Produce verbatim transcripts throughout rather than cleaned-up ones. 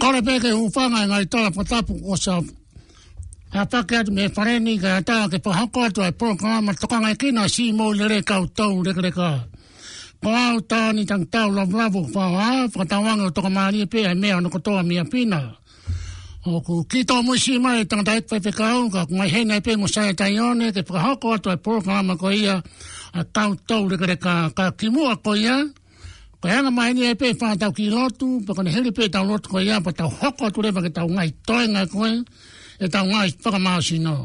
Kole pē ke u hūfanga he ngaahi tala fakatapu kuo ʻosi ʻāpaki atu mei he fale ni kae ʻatā ke fakahoko atu ʻa e polokalama Tokangaekina Siʻi Moʻui Lelei Kau Toulekeleka. Ko au Tani Tangitau Lavulavu Faoa, fakatauange ʻoku tokamālie pē ʻa e meʻa hono kotoa mei ʻapi na. ʻOku kiʻi tōmuʻa siʻi mai e tangataʻeiki faifekau, ka ʻoku mai heni pē mo Saia Taione ke fakahoko atu ʻa e polokalama ko ia ʻa e Kau Toulekeleka. Ka kimuʻa ko ia, ko e anga mai ni ē pē fātau ki lotu, pea ko ʻene hili pē ʻetau lotu ko ia, pea tau hoko atu leva ki heʻetau ngaahi toenga ko ē, ʻetau ngaahi fakamāsino.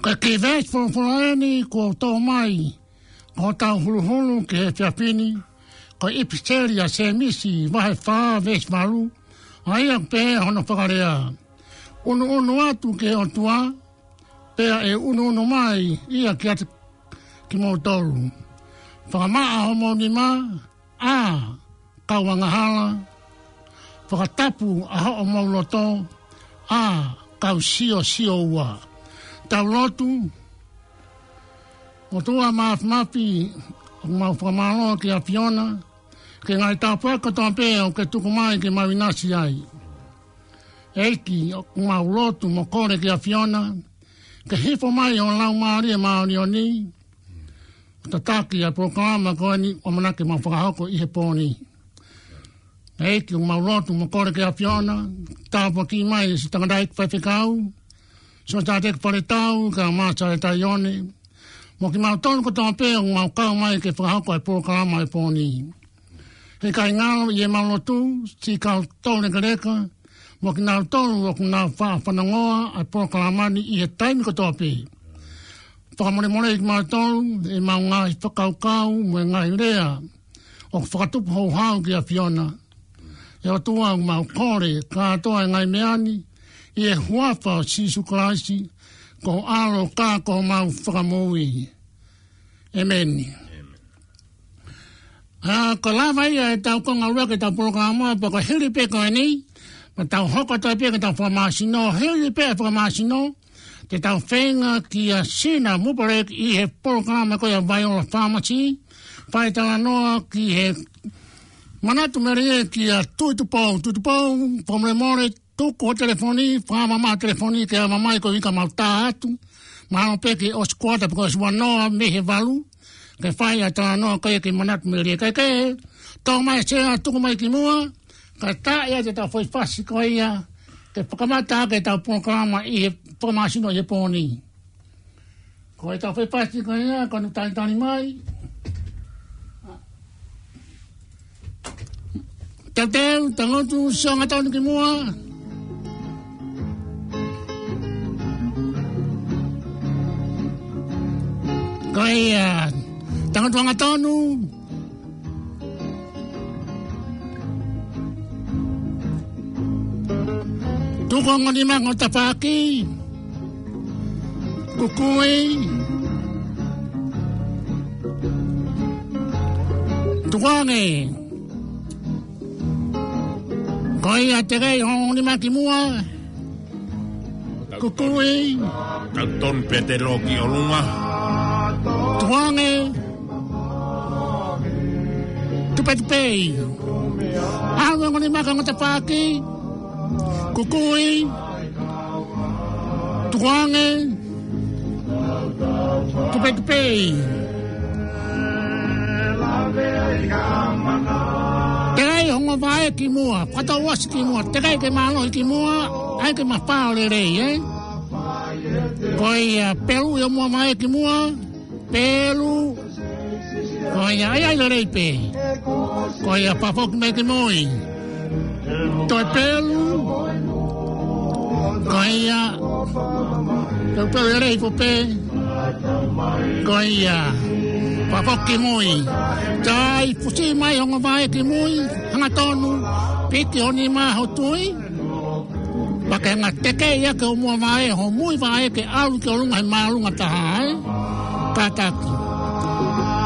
Ko e kiʻi veesi folofola eni kuo tō mai ko hotau huluhulu ki he efiafi ni, ko e ʻipiseli ʻa Sēmisi vahe fā veesi valu, ʻa ia ʻoku pehē hono fakalea: ʻUnuʻunu atu ki he ʻOtua, pea ʻe ʻunuʻunu mai ia kiate kimoutolu. Fakamaʻa homou nima, ʻa e kau angahala, fakatapu ʻa hoʻomou loto, ʻa e kau siosio ua. Tau lotu. ʻOtua Māfimafi, ʻoku mau fakamālō ki he ʻAfiona, ki he ngaahi tāpuaki kotoa pē ʻoku ke tuku mai ke mau ʻinasi ai. ʻEiki, ʻoku mau lotu mo kole ki he ʻAfiona, ke hifo mai ho Laumālie Māʻoniʻoni, ʻo tataki ʻa e polokalama ko eni ʻoku ʻamanaki ke mau fakahoko ʻi he pō ni. ʻEiki, ʻoku mau lotu mo kole ki he ʻAfiona, tāpuakiʻi mai siʻi tangataʻeiki faifekau, siʻi tangataʻeiki faletau, kae ʻumaʻā Saia Taione, mo kimautolu kotoa pē ʻoku mau kau mai ke fakahoko ʻa e polokalama ʻo e pō ni. He ʻikai ngalo ʻi heʻemau lotu siʻi kau toulekeleka, mo kinautolu ʻoku nau faʻa fanongoa ʻa e polokalama ni ʻi he taimi kotoa pē. Fakamolemoleʻi kimautolu ʻi heʻemau ngaahi fakakaukau mo e ngaahi lea ʻoku fakatupu houhau ki he ʻAfiona. ʻE ʻOtua, ʻoku mau kole kātoa e ngaahi meʻa ni ʻi he huafa ʻo Sīsū Kalaisi, ko ho ʻAlo ka ko homau Fakamoʻui. ʻĒmeni. ʻA, ko e lava ia ʻetau konga ʻuluaki ʻetau polokalama, pea ko e hili pē ko eni, pea tau hoko atu pē ki heʻetau fakamāsino, hili pē ʻa e fakamāsino, te tau feinga kia Sina Mupalek ʻi he polokalama ko ia Viola Pharmacy, fai talanoa ki he manatu melie kia Tuʻi Tupou, Tuʻi Tupou, fakamolemole, tuku ho telefoni, fakamamaʻo ho telefoni ke ʻomai ko e ika mau tā atu. Mahalo pē ke ʻosi kuata pe ko e ʻosi ua noa mei he valu. Ke fai ʻa e talanoa ko ia ki he manatu melie. Kae kehe, tō mai Sea, tuku mai ki muʻa. Kae taʻe ʻa ʻetau foʻi fasi ko ia ke fakamata ʻaki ʻetau polokalama ʻi he fakamāsino ʻi he pō ni. Ko ʻetau foʻi fasi ko ia, ko ʻene talitali mai. Teuteu, tangutu, sio hangatonu ki muʻa. Ko ia, tangutu hangatonu. Tuku ho ongo nima ki ho tafaʻaki. Kukui. Tukuange. Ko ia, tekeʻi ho ongo nima ki muʻa. Kukui. Tau tonu pē ʻo tō ki ʻolunga. Tukuange. Tupetupeʻi. ʻAlu e ongo nima ki ho tafaʻaki. Kukui. Tukuange. Tupetupeʻi. Tekeʻi ho ongo vaʻe ki muʻa, fakatouʻosi ki muʻa, tekeʻi ke mālohi ki muʻa, ʻai ke mafao lelei, ē? Ko ia, peluʻi ho muʻa vaʻe ki muʻa, pelu, ko ia, ʻai, ʻai lelei pē. Ko ia, fakafoki mai ki mui. Toe pelu. Ko ia. Peupeu lelei pē pē. Ko ia. Fakafoki mui. Sai, fusi mai ho ongo vaʻe ki mui. Hangatonu. Piki ho nima ho tui. Pea ke hanga tekeʻi ʻaki ho muʻa vaʻe, ho mui vaʻe ke ʻalu ki ʻolunga he māʻolunga taha, ē? Kātaki.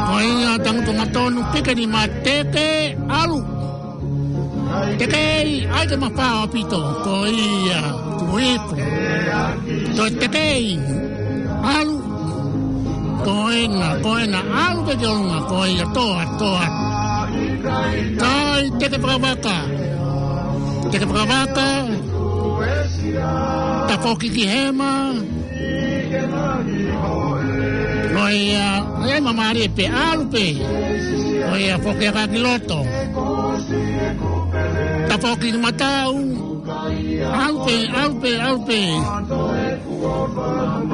Ko ia, tangutu hangatonu, piki nima, teke, ʻalu. Tekeʻi, ʻai ke mafao ʻaupito. Ko ia, tuku hifo. Toe tekeʻi, ʻalu. Ko ena, ko ena, ʻalu pē ki ʻolunga, ko ia, toa, toa. Sai, teke fakavaka. Teke fakavaka. Tafoki ki hema. Ko ia, ko ia, māmālie pē, ʻalu pē. Ko ia, foki hake ki loto. Tafoki ki mataʻu. ʻAlu pē, ʻalu pē, ʻalu pē.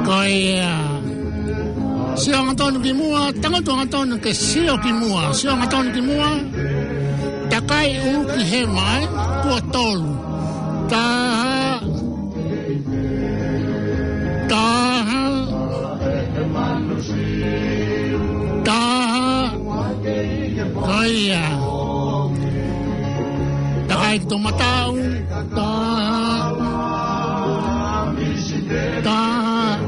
Ko ia. Sio hangatonu ki muʻa, tangutu hangatonu ke sio ki muʻa. Sio hangatonu ki muʻa. Takai ʻulu ki hema, ē? Tuʻo tolu. Taha. Taha. Taha. Ko ia. Takai ki ho mataʻu. Taha. Taha.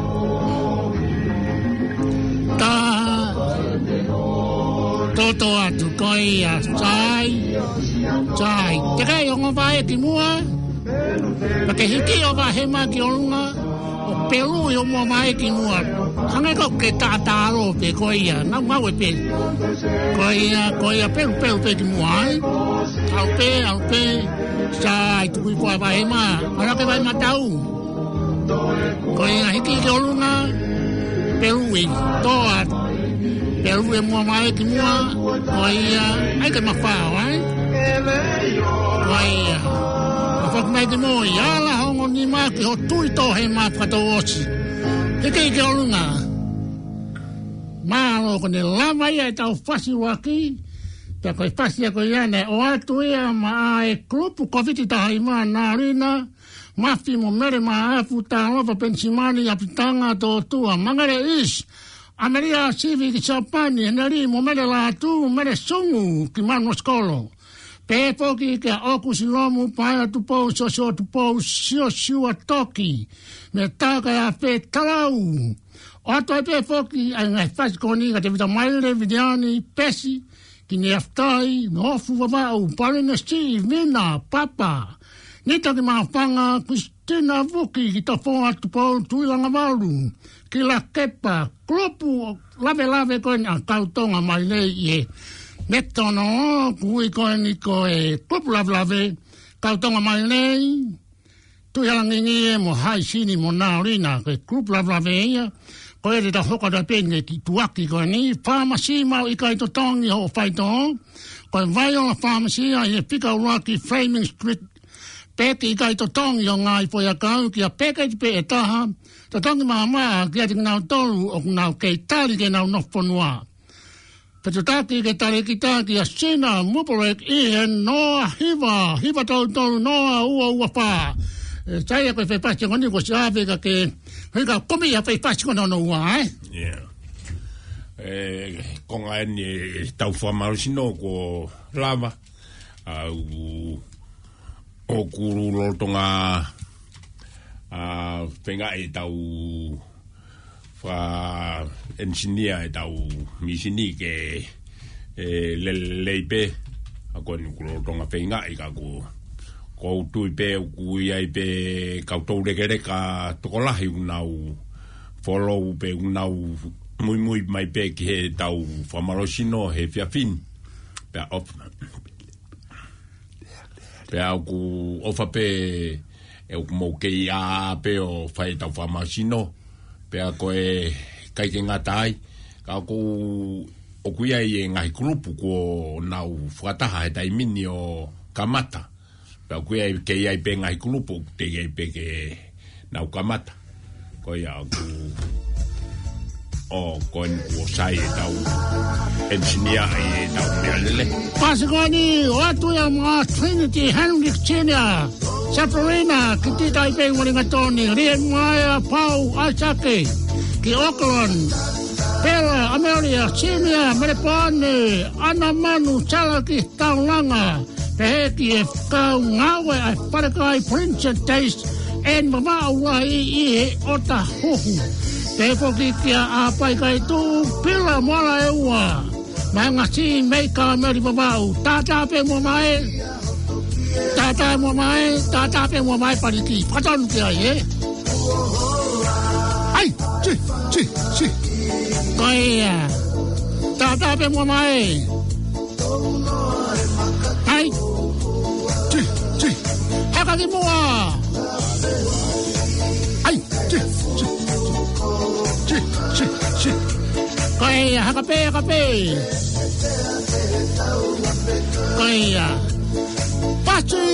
Taha. Toto atu, ko ia, sai. Sai. Tekeʻi ho ongo vaʻe ki muʻa. Pea ke hiki ho vaʻe hema ki ʻolunga. ʻO peluʻi ho muʻa vaʻe ki muʻa. Hangē ko e taʻataʻalo pē, ko ia, ngaungaue pē. Ko ia, ko ia, pelu, pelu pē ki muʻa, ē. ʻAlu pē, ʻalu pē. Sai, tuku hifo e vaʻe hema. ʻAlu hake vaʻe mataʻu. Ko ia, hiki ki ʻolunga. Peluʻi, toa. Peluʻi e muʻa vaʻe ki muʻa. Ko ia, ʻai ke mafao, ē. Ko ia. Fakafoki mai ki mui, ala ho ongo nima ki ho tui, toʻo hema, fakatouʻosi. Hiki ki ʻolunga. Mālō, ko ʻene lava ia ʻetau fasi ʻuluaki. Pea ko e fasi ia ko ia naʻe ʻoatu ia maʻa e kulupu Kōviti taha hiva, Nalina Mafi mo Mele Maʻafu, Talofa Penisimani, ʻApitanga Tōtua, Mangere East, ʻAmelia Sivi ki Siapani, Heneli mo Mele Lātū, Mele Sungu ki Manuasikolo. Pehē foki kia ʻOku Silomu, Paea Tupou, Siosiua Tupou, Siosiua Toki, mei Takaeafe, Talau. ʻOatu ai pē foki ʻa e ngaahi fasi ko eni kia Tevita Maile, Viliani, Pesi, Niaftai, Nofu Vavaʻu, Palenesi, Vina, Papa, Nita ki Mafanga, Kristina Vuki, ki Tafoa, Tupou, Tuilangavalu, ki Lakepa, kulupu lavelave ko eni ʻa Kautonga Maile ʻi he Metono, kuo ui ko eni ko e kulupu lavelave, Kautonga Maile, Tuʻihalangingie mo Haisini mo Naolina, ko e kulupu lavelave ia, ko e te tau hoko atu pē ki he tuʻuaki ko eni, fāmasi maʻu ʻikai totongi hoʻo faitoʻo, ko e Viola Pharmacy ʻi he fika ʻuluaki Fleming Street, peki ʻikai totongi hoʻo ngaahi foʻiʻakau, ki ha peketi pē ʻe taha, totongi maʻamaʻa kiate kinautolu ʻoku nau kei tali ke nau nofo fonua. Pea tataki ke tali kita kia Sina Mupolek ʻi he noa hiva, hiva tolu tolu noa ua ua fā. ʻE, sai ko e fefasi ko eni ko Siape ka ke, hei ka komi ia fefasi ko eni ua, ē? Yeah. ʻE, konga eni ʻetau fakamālohisino kuo lava, ʻa, ʻoku lolotonga, ʻa, feingaʻi ʻetau fakaʻenisinia ʻetau mīsini ke, ʻe, lelei pē, ʻa ko eni kuo lolotonga feingaʻi ka ko, ko u tui pē ʻoku ʻi ai pē kau toulekeleka tokolahi ʻoku nau follow pē ʻoku nau muimui mai pē ki heʻetau fakamālohisino he efiafi ni. Pea ʻofa. Pea ʻoku ʻofa pē ʻe ʻoku mou kei ʻā pē ʻo fai ʻetau fakamālohisino. Pea ko e ʻikai ke ngata ai, ka ʻoku, ʻoku ʻi ai e ngaahi kulupu kuo nau fakataha he taimi ni ʻo kamata. Pea ʻoku ʻi ai, kei ʻi ai pē ngaahi kulupu ʻoku teʻeki ai pē ke nau kamata. Ko ia ʻoku, ʻo ko eni kuo sai ʻetau ʻenisinia ʻi heʻetau meʻalele. Pasi ko eni, ʻoatu ia maʻa Trinity Henry Senior, Sabrina, ki Tita ʻi pē Ualingatoni, Liemaia Pau ʻAisake, ki Auckland, Pela Amelia Senior, Melepone, ʻAna Manu Salaki Taulanga, pehē ki he kau ngāue ʻa e Falekai Princess Taste and Vavaʻu Lahi ʻi he ʻOtahuhu. Pehē foki kia ʻApai Kaituʻu, Pila Moala ʻEua, Maenga Sī, Meika Meli Vavaʻu, tātā pē muʻa mai, tātā muʻa mai, tātā pē muʻa mai Paliki. Fakatonu ki ai, ē? ʻAi, tī, tī, tī. Ko ia. Tātā pē muʻa mai. ʻAi. Tī, tī. Haka ki muʻa. ʻAi. Tī, tī, tī, tī, tī. Ko ia, haka pē, haka pē. Ko ia. Pasi.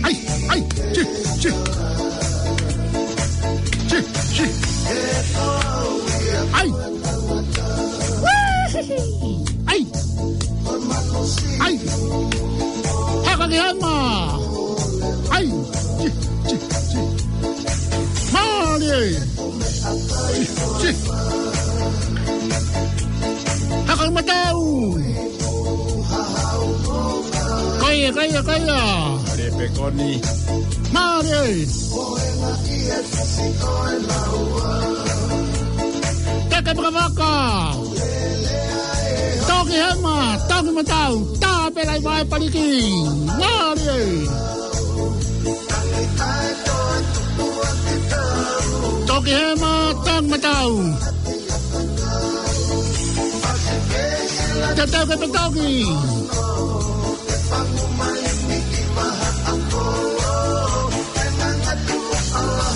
ʻAi, ʻai, tī, tī. Tī, tī. ʻAi. ʻAi. ʻAi. Haka ki hema. ʻAi. Tī, tī, tī. Mālie. Tī, tī. Haka ki matau. Ko ia, ko ia, ko ia. Mālie pē ko eni. Mālie. Teke vakavaka. Toki hema, toki matau, tā pē lahi mai Paliki. Mālie. Toki hema, toki matau. Te tau ke petoki.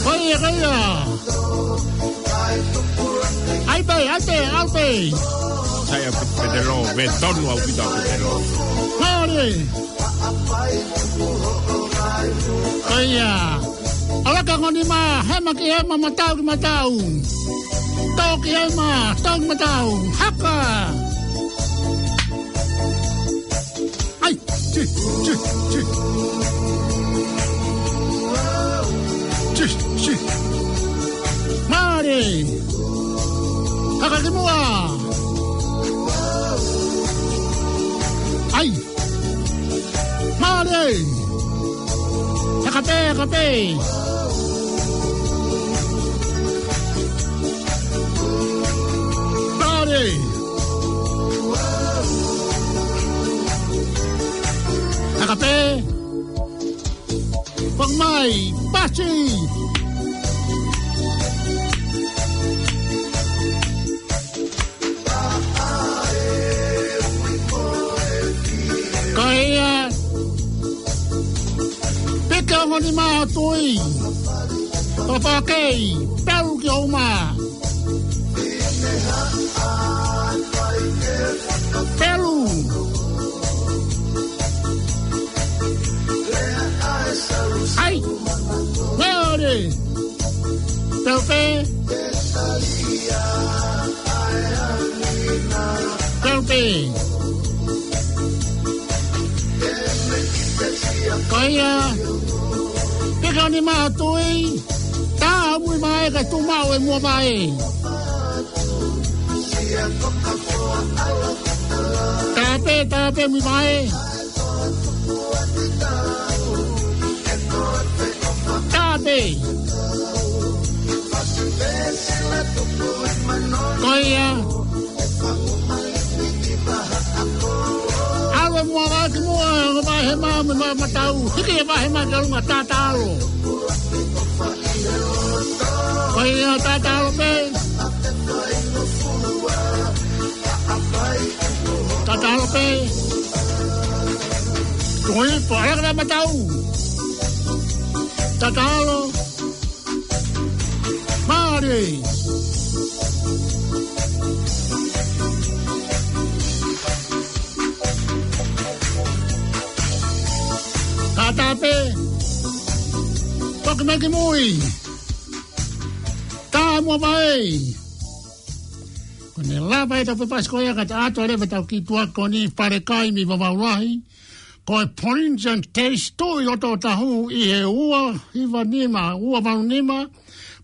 Ko ia, ko ia. ʻAi pē, ʻai pē, ʻai pē. Sai ʻaupito Petelo, me tonu ʻaupito Petelo. Mālie. Ko ia. ʻAlaka ngoni mā, hema ki hema, matau ki matau. Toki hema, toki matau. Haka. ʻAi, tī, tī, tī. Tī, tī. Mālie. Haka ki muʻa. ʻAi. Mālie. Haka pē, haka pē. Mālie. Ati. Ko ia, pika moni maha tui. Papakei, pelu ki o uma. Pelu. Ai, meore. Tau pē. Tau pē. Ko ia, pika moni maha tui, tā mui mai ka tu mau e mua mai. Tā pē, tā pē mui mai. Tā pē. Ko ia. ʻAlu e mua mai ki muʻa, ʻo vahe mai, mei ma-, matau. Hiki e vahe mai ki ʻolunga, tatalo. Ko ia, tatalo pē. Tatalo pē. Tuku ipu, ʻalu ki he matau. Tatalo. Mālie. Kātaki pē. Toki mai ki mui. Tā mua mai. Ko ʻene lava e tau fefasi ko ia ka ta ato leva tau ki tuʻa ko eni Falekai mei Vavaʻu Lahi. Ko e Polynesian Taste tuʻu ʻi loto Otahuhu ʻi he ua hiva nima, ua valu nima,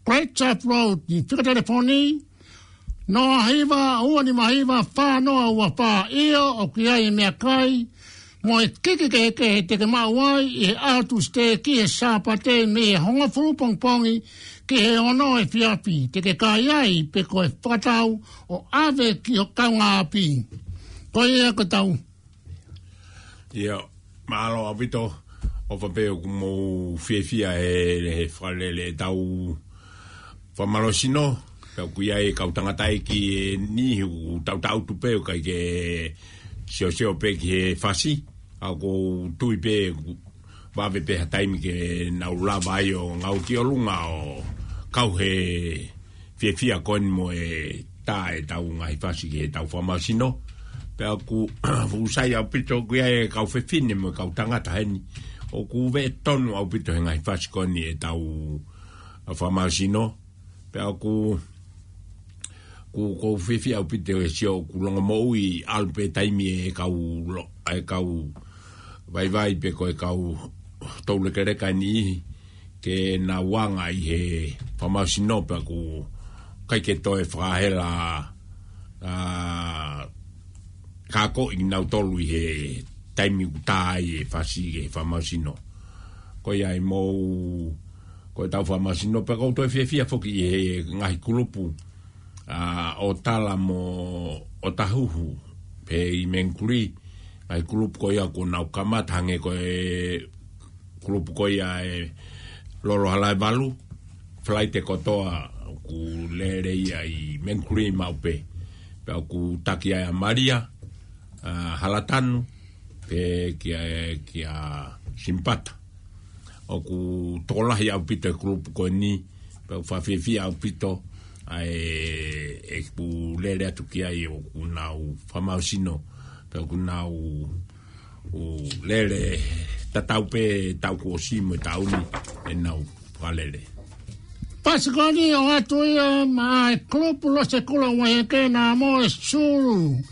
Great South Road, ʻi he fika telefoni, noa hiva, ua nima hiva, fā noa ua fā. ʻIo, ʻoku ʻi ai e meʻakai mo e kiki kehekehe te ke maʻu ai ʻi he ʻaho Tūsite ki he Sāpate mei he hongofulu pongipongi ki he ono efiafi, te ke kai ai pe ko e fakatau ʻo ʻave ki ho kaungāʻapi. Ko ia ko tau. ʻIo, mālō ʻaupito, ʻofa pē ʻoku mou fiefia he, he fakalele ʻetau fakamālohisino, pea ʻoku ʻi ai e kau tangataʻeiki ʻe niʻihi ʻoku tautautefito pē ʻoku ʻikai ke siosio pē ki he fasi, ʻa ʻoku ou tui pē ʻoku vave pē ha taimi ke nau lava ai ʻo ngāue ki ʻolunga ʻo kau he fiefia ko eni mo e tā ʻetau ngaahi fasi ki heʻetau fakamālohisino. Pea ʻoku fuʻu sai ʻaupito ʻoku ʻi ai e kau fefine mo e kau tangata heni. ʻOku veʻe tonu ʻaupito he ngaahi fasi ko eni ʻetau fakamālohisino. Pea ʻoku, ʻoku, ʻoku ou fiefia ʻaupito he sio ʻoku longomoʻui ʻalu pē taimi e kau lo-, e kau vaivai pe ko e kau toulekeleka ʻe niʻihi ke nau anga ʻi he fakamālohisino pea ʻoku ʻikai ke toe fakahela, ā, ka ko kinautolu ʻi he taimi ʻoku tā ai e fasi ki he fakamālohisino. Ko ia ʻi mou, ko ʻetau fakamālohisino pea ʻoku ou toe fiefia foki ʻi he ngaahi kulupu, ā, ʻo Tala mo Otahuhu, pea ʻi Mangere, ngaahi kulupu ko ia ʻoku nau kamata hangē ko e kulupu ko ia ʻe Lolo Halaevalu, Falaite kotoa ʻoku lele ia ʻi Mangere maʻu pē. Pea ʻoku taki ai ʻa Malia, ā, Halatanu, pea kia, kia Simipata. ʻOku tokolahi ʻaupito e kulupu ko eni, pea ʻoku fakafiefia ʻaupito ʻa e, ʻeku lele atu ki ai ʻoku nau fakamālohisino, pea ʻoku nau ʻo lele tatau pē taʻu kuo ʻosi mo e taʻu ni ʻenau fakalele. Pasikoni ʻo atu ia maʻa e kulupu Losi Kula Ueheke naʻa mo e Sulu.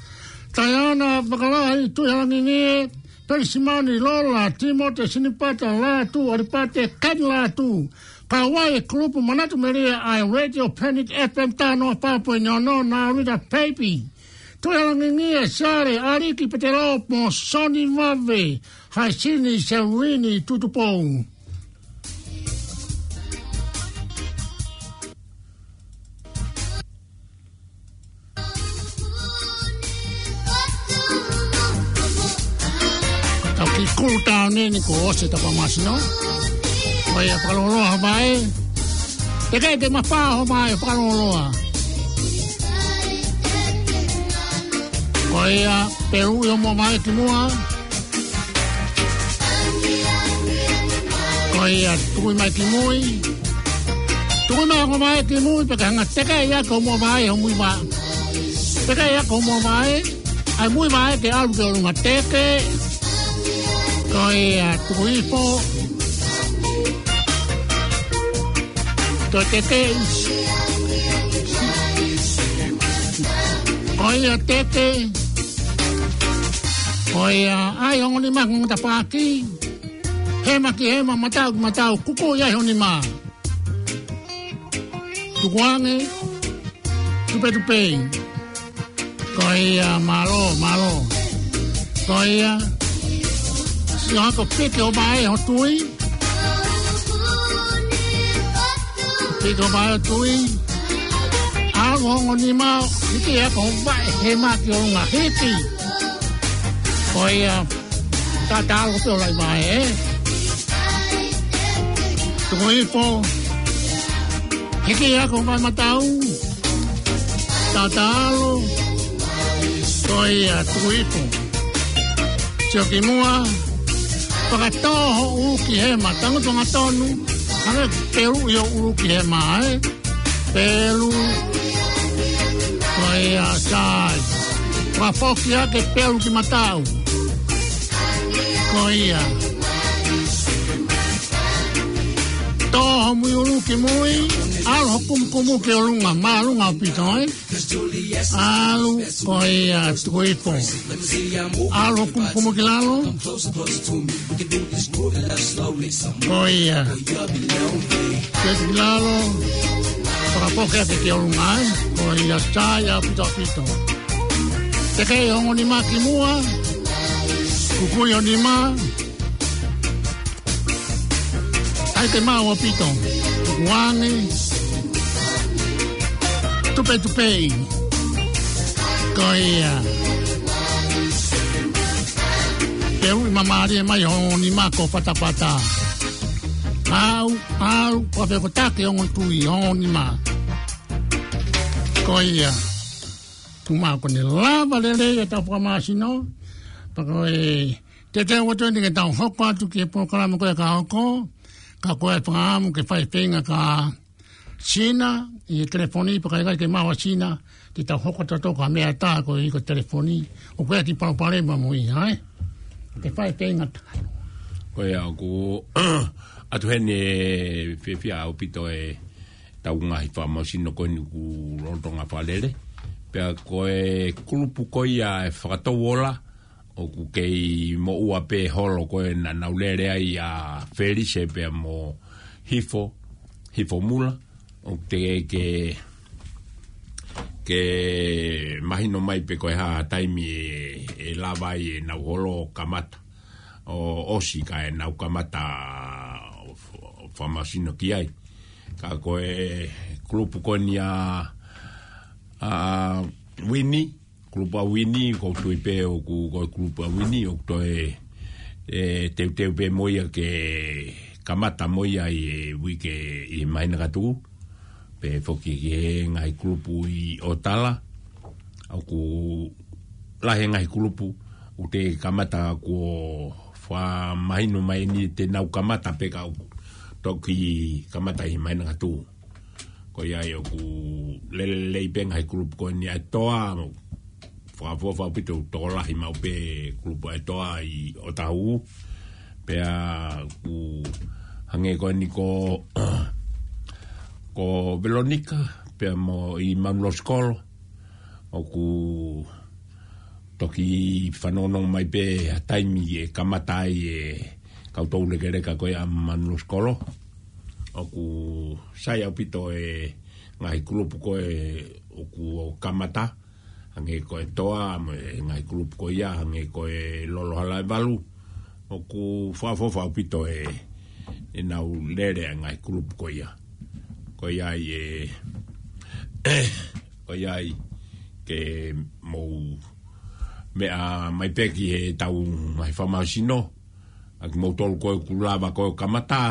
Taiana Vakalahi, Tuʻihalangingie, Pelisimani Lola, Timote Sinipata Lātū, ʻAlipate Kani Lātū. Kau ai e kulupu Manatu Melia ʻa e Radio Planet F M taha noa fā poini ono, Nālita Peipi. Tuʻihalangingie Sale, ʻAliki Petelo mo Soni Vave, Haisini Selini Tutupou. Tau kiʻi cool down eni kuo ʻosi ʻetau fakamālohisino. Ko ia, fakalōloa hoʻo vaʻe. Tekeʻi ke mafao hoʻo vaʻe, fakalōloa. Ko ia, peluʻi hoʻomo vaʻe ki muʻa. Ko ia, tukuʻi mai ki mui. Tukuʻi mai hoʻomo vaʻe ki mui, pea ke hanga ʻo tekeʻi ʻaki hoʻomo vaʻe, hoʻomui vaʻe. Tekeʻi ʻaki hoʻomo vaʻe. ʻAi mui vaʻe ke ʻalu ki ʻolunga, teke. Ko ia, tuku hifo. Toe teke. Ko ia, teke. Ko ia, ʻai hoʻo nima ki he tafaʻaki. Hema ki hema, mataʻu ki mataʻu, kukuʻi ai hoʻo nima. Tukuange, tupetupeʻi. Ko ia, mālō, mālō. Ko ia, sio hake ʻo piki hoʻo vaʻe, hoʻo tui. Piki hoʻo vaʻe, hoʻo tui. ʻAlu hoʻo nima, hiki ʻaki hoʻo vaʻe, hema ki ʻolunga, hiki. Ko ia, tatalo pē ʻo lahi vaʻe, ē? Tuku hifo. Hiki ʻaki hoʻo vaʻe mataʻu. Tatalo. Ko ia, tuku hifo. Sio ki muʻa. Fakatō hoʻo ʻulu ki hema. Tangutu hangatonu. Hangē ko e peluʻi hoʻo ʻulu ki hema, ē? Pelu. Ko ia, sai. Fakafoki hake, pelu ki mataʻu. Ko ia. Tō hoʻomui ʻulu ki mui. ʻAlu hoʻo kumukumu ki ʻolunga. Māʻolunga ʻaupito, ē? ʻAlu, ko ia, tuku hifo. ʻAlu hoʻo kumukumu ki lalo. Ko ia. Ke ki lalo. Fakafoki hake ki ʻolunga, ē? Ko ia, sai ʻaupito ʻaupito. Tekeʻi hoʻo nima ki muʻa. Kukuʻi hoʻo nima. ʻAi ke maʻu ʻaupito. Tukuange. Tupetupeʻi. Ko ia. Peluʻi māmālie mai hoʻo nima ki ho fatafata. ʻAlu, ʻalu, ko e fekotaki hoʻo tui, hoʻo nima. Ko ia. Tuʻu mai ko eni, lava lelei ʻetau fakamāsino. Pea ko e teuteu atu eni ke tau hoko atu ki he polokalama ko ē ka hoko. Ka ko e fakaʻamu ke fai feinga kia Sina, ʻi he telefoni, pea ka ʻikai ke maʻu ʻa Sina, te tau hoko atu ʻo toʻo ha meʻa ʻe taha koeʻuhi ko e telefoni, ʻoku ʻi ai e kiʻi palopalema mo ia, ē? Ke fai feinga. Ko ia ʻoku ʻatu heni ʻe fiefia ʻaupito ʻetau ngaahi fakamāsino ko eni ʻoku lolotonga fakalele. Pea ko e kulupu ko ia ʻe Fakatouola, ʻoku kei moʻua pē holo ko ē naʻa nau lele ai ʻa Felise pea mo Hifo, Hifo Mula, ʻoku teʻeki ke, ke mahino mai pe ko e hā taimi ʻe, ʻe lava ai ʻenau holo ʻo kamata, ʻo ʻosi kae nau kamata ʻo f-, ʻo fakamāsino ki ai. Ka ko e kulupu ko eni ʻa, ʻa Uini, kulupu ʻa Uini, ʻoku ou tui pē ʻoku, ko e kulupu ʻa Uini, ʻoku toe, ʻe, teuteu pē mo ia ke kamata mo ia ʻi he uike ʻi he māhina ka tuʻu. Pea foki ki he ngaahi kulupu ʻi ʻOtala. ʻOku lahi e ngaahi kulupu, ʻoku teʻeki kamata kuo fakamahino mai ʻeni te nau kamata pe ka ʻoku toki kamata ʻi he māhina ka tuʻu. Ko ia ai ʻoku lele lelei pē ngaahi kulupu ko eni ʻa e Toa, fakaʻofoʻofa ʻaupito, tokolahi maʻu pē kulupu ʻa e Toa ʻi ʻOtahuhu. Pea ʻoku hangē ko eni ko, ko Velonika, pea mo ʻi Manuʻiloto Sikolo. ʻOku toki fanongonongo mai pē ha taimi ʻe kamata ai e kau toulekeleka ko ia ʻa Manuʻiloto Sikolo. ʻOku sai ʻaupito e ngaahi kulupu ko ē ʻoku kamata, hangē ko e Toa, mo e ngaahi kulupu ko ia, hangē ko e Lolo Hala ʻe Valu. ʻOku fakaʻofoʻofa ʻaupito e, ʻenau lele ʻa e ngaahi kulupu ko ia. Ko ia ai e, ko ia ai ke mou meʻa mai pē ki heʻetau ngaahi fakamāsino, ʻa kimoutolu ko ē ʻoku lava ko ē ʻo kamata,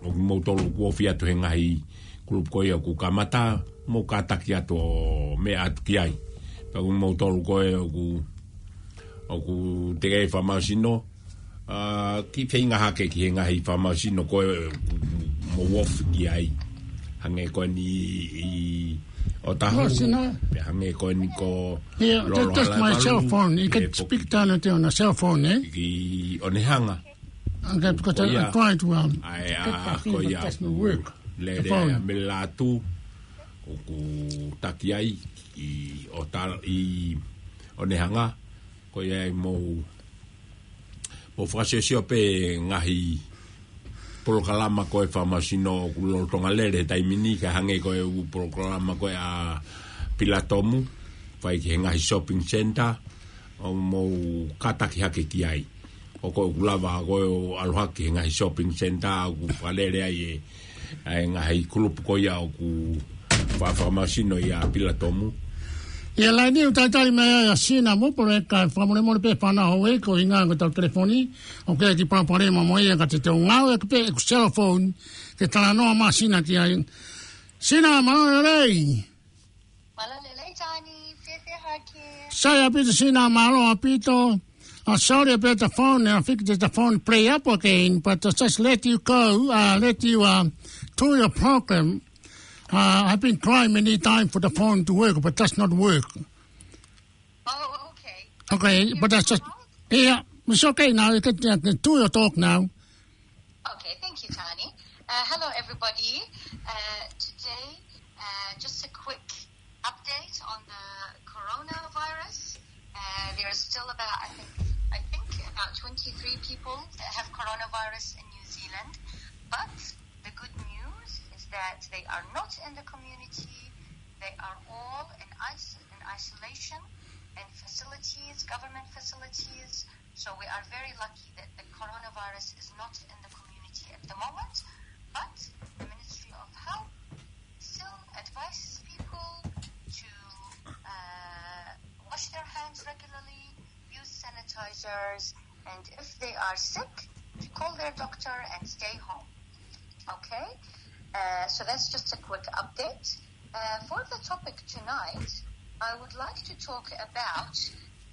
ʻOku moutolu kuo ofi atu he ngaahi kulupu ko ia ʻoku kamata, mou kātaki atu ʻo meʻa atu ki ai. Pea ʻoku moutolu ko ē ʻoku, ʻoku teʻeki fakamasino, ʻa, kiʻi feinga hake ki he ngaahi fakamasino ko ē ʻoku mou ofi ki ai. Hangē ko eni ʻi Otahuhu, Masina. Pea hangē ko eni ko Ia, Lolo that's just my Halaevalu, cell phone. You ʻi he can speak poki down at on a cell phone, eh? ʻi ʻOnehanga. Okay, because I, I Ia. try to, um, ʻAe, get ʻa, back in, ko but ia that's no ʻoku work. lele The phone. ʻa Melatu, ʻoku taki ai ʻi ʻOta-, ʻi ʻOnehanga, ko ia ʻe mou, mou fakasiosio pē ngaahi polokalama ko ē fakamasino ʻoku lolotonga lele he taimi ni, kae hangē ko e ʻū polokalama ko ē ʻa Pilatomu, fai ki he ngaahi shopping centre, ʻo mou kātaki hake ki ai. ʻOku ʻoku lava ko ē ʻo ʻalu hake he ngaahi shopping centre ʻoku fakalele ai ʻe, ʻa e ngaahi kulupu ko ia ʻoku fa-, fakamasino ʻia Pilatomu. Ia laini ʻoku talitali mai ai ʻa Sina Mupoleka, fakamolemole pē fānau hou ē, ko e ʻuhinga ko ʻetau telefoni, ʻoku ʻi ai e kiʻi palopalema mo ia ka te tau ngāueʻaki pē ʻeku cell phone, ke talanoa mai ʻa Sina ki ai. Sina, mālō e lelei. Mālō e lelei Tani, fēfē hake? Sai ʻaupito Sina, mālō ʻaupito. Uh, sorry about the phone, I think that the phone play up again, but uh, just let you go, uh, let you uh, do your program. Uh, I've been trying many times for the phone to work, but does not work. Oh, okay. Okay, Can you but that's hear just, me now? Yeah, it's okay now. You can, you can do your talk now. Okay, thank you, Tani. Uh, hello, everybody. Uh, today, uh, just a quick update on the coronavirus. Uh, there are still about, I think, I think about twenty-three people that have coronavirus in New Zealand. But the good news is that they are not in the community. They are all in is-, in isolation, in facilities, government facilities. So we are very lucky that the coronavirus is not in the community at the moment, but the Ministry of Health still advises people to, uh, wash their hands regularly, use sanitizers, and if they are sick, to call their doctor and stay home. Okay? Uh, so that's just a quick update. Uh, for the topic tonight, I would like to talk about,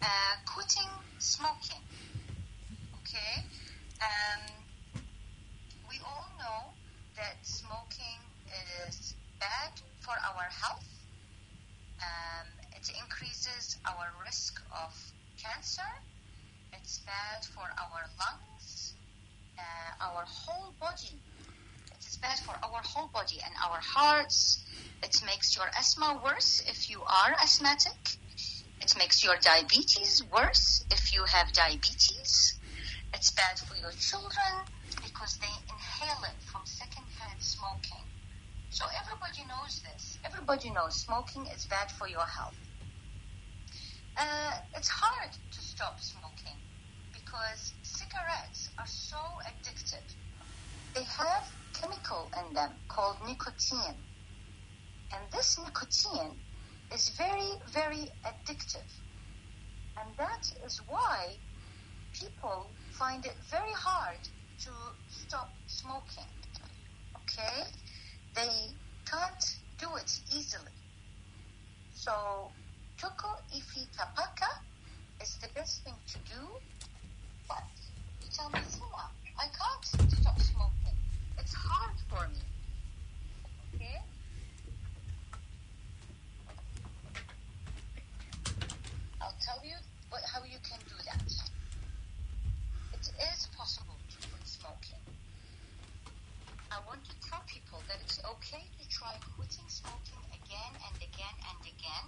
uh, quitting smoking. Okay? Um, we all know that smoking is bad for our health. Um, it increases our risk of cancer. It's bad for our lungs, uh, our whole body. It is bad for our whole body and our hearts. It makes your asthma worse if you are asthmatic. It makes your diabetes worse if you have diabetes. It's bad for your children because they inhale it from secondhand smoking. So everybody knows this. Everybody knows smoking is bad for your health. Uh, it's hard to stop smoking because cigarettes are so addictive. They have chemical in them called nicotine. And this nicotine is very, very addictive. And that is why people find it very hard to stop smoking. Okay? They can't do it easily. So, tuku ʻifi tapaka is the best thing to do. But you tell me, "Sina, I can't stop smoking. It's hard for me." Okay? I'll tell you what, how you can do that. It is possible to quit smoking. I want to tell people that it's okay to try quitting smoking again and again and again.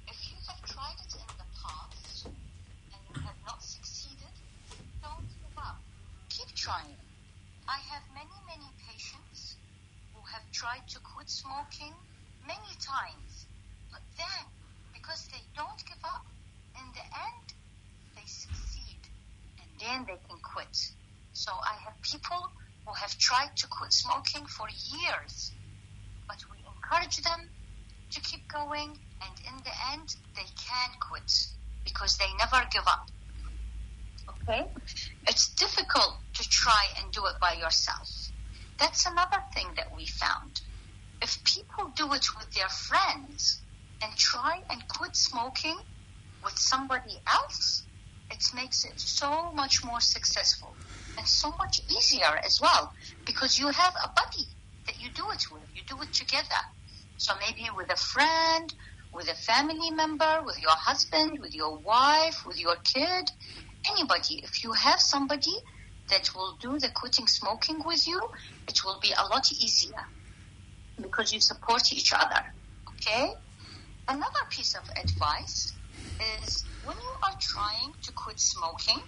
If you have tried it in the past and you have not succeeded, don't give up. Keep trying. I have many, many patients who have tried to quit smoking many times, but then, because they don't give up, in the end, they succeed, and then they can quit. So I have people who have tried to quit smoking for years, but we encourage them to keep going, and in the end, they can quit because they never give up. Okay? It's difficult to try and do it by yourself. That's another thing that we found. If people do it with their friends and try and quit smoking with somebody else, it makes it so much more successful and so much easier as well, because you have a buddy that you do it with. You do it together. So maybe with a friend, with a family member, with your husband, with your wife, with your kid, anybody. If you have somebody that will do the quitting smoking with you, it will be a lot easier because you support each other. Okay? Another piece of advice is, when you are trying to quit smoking,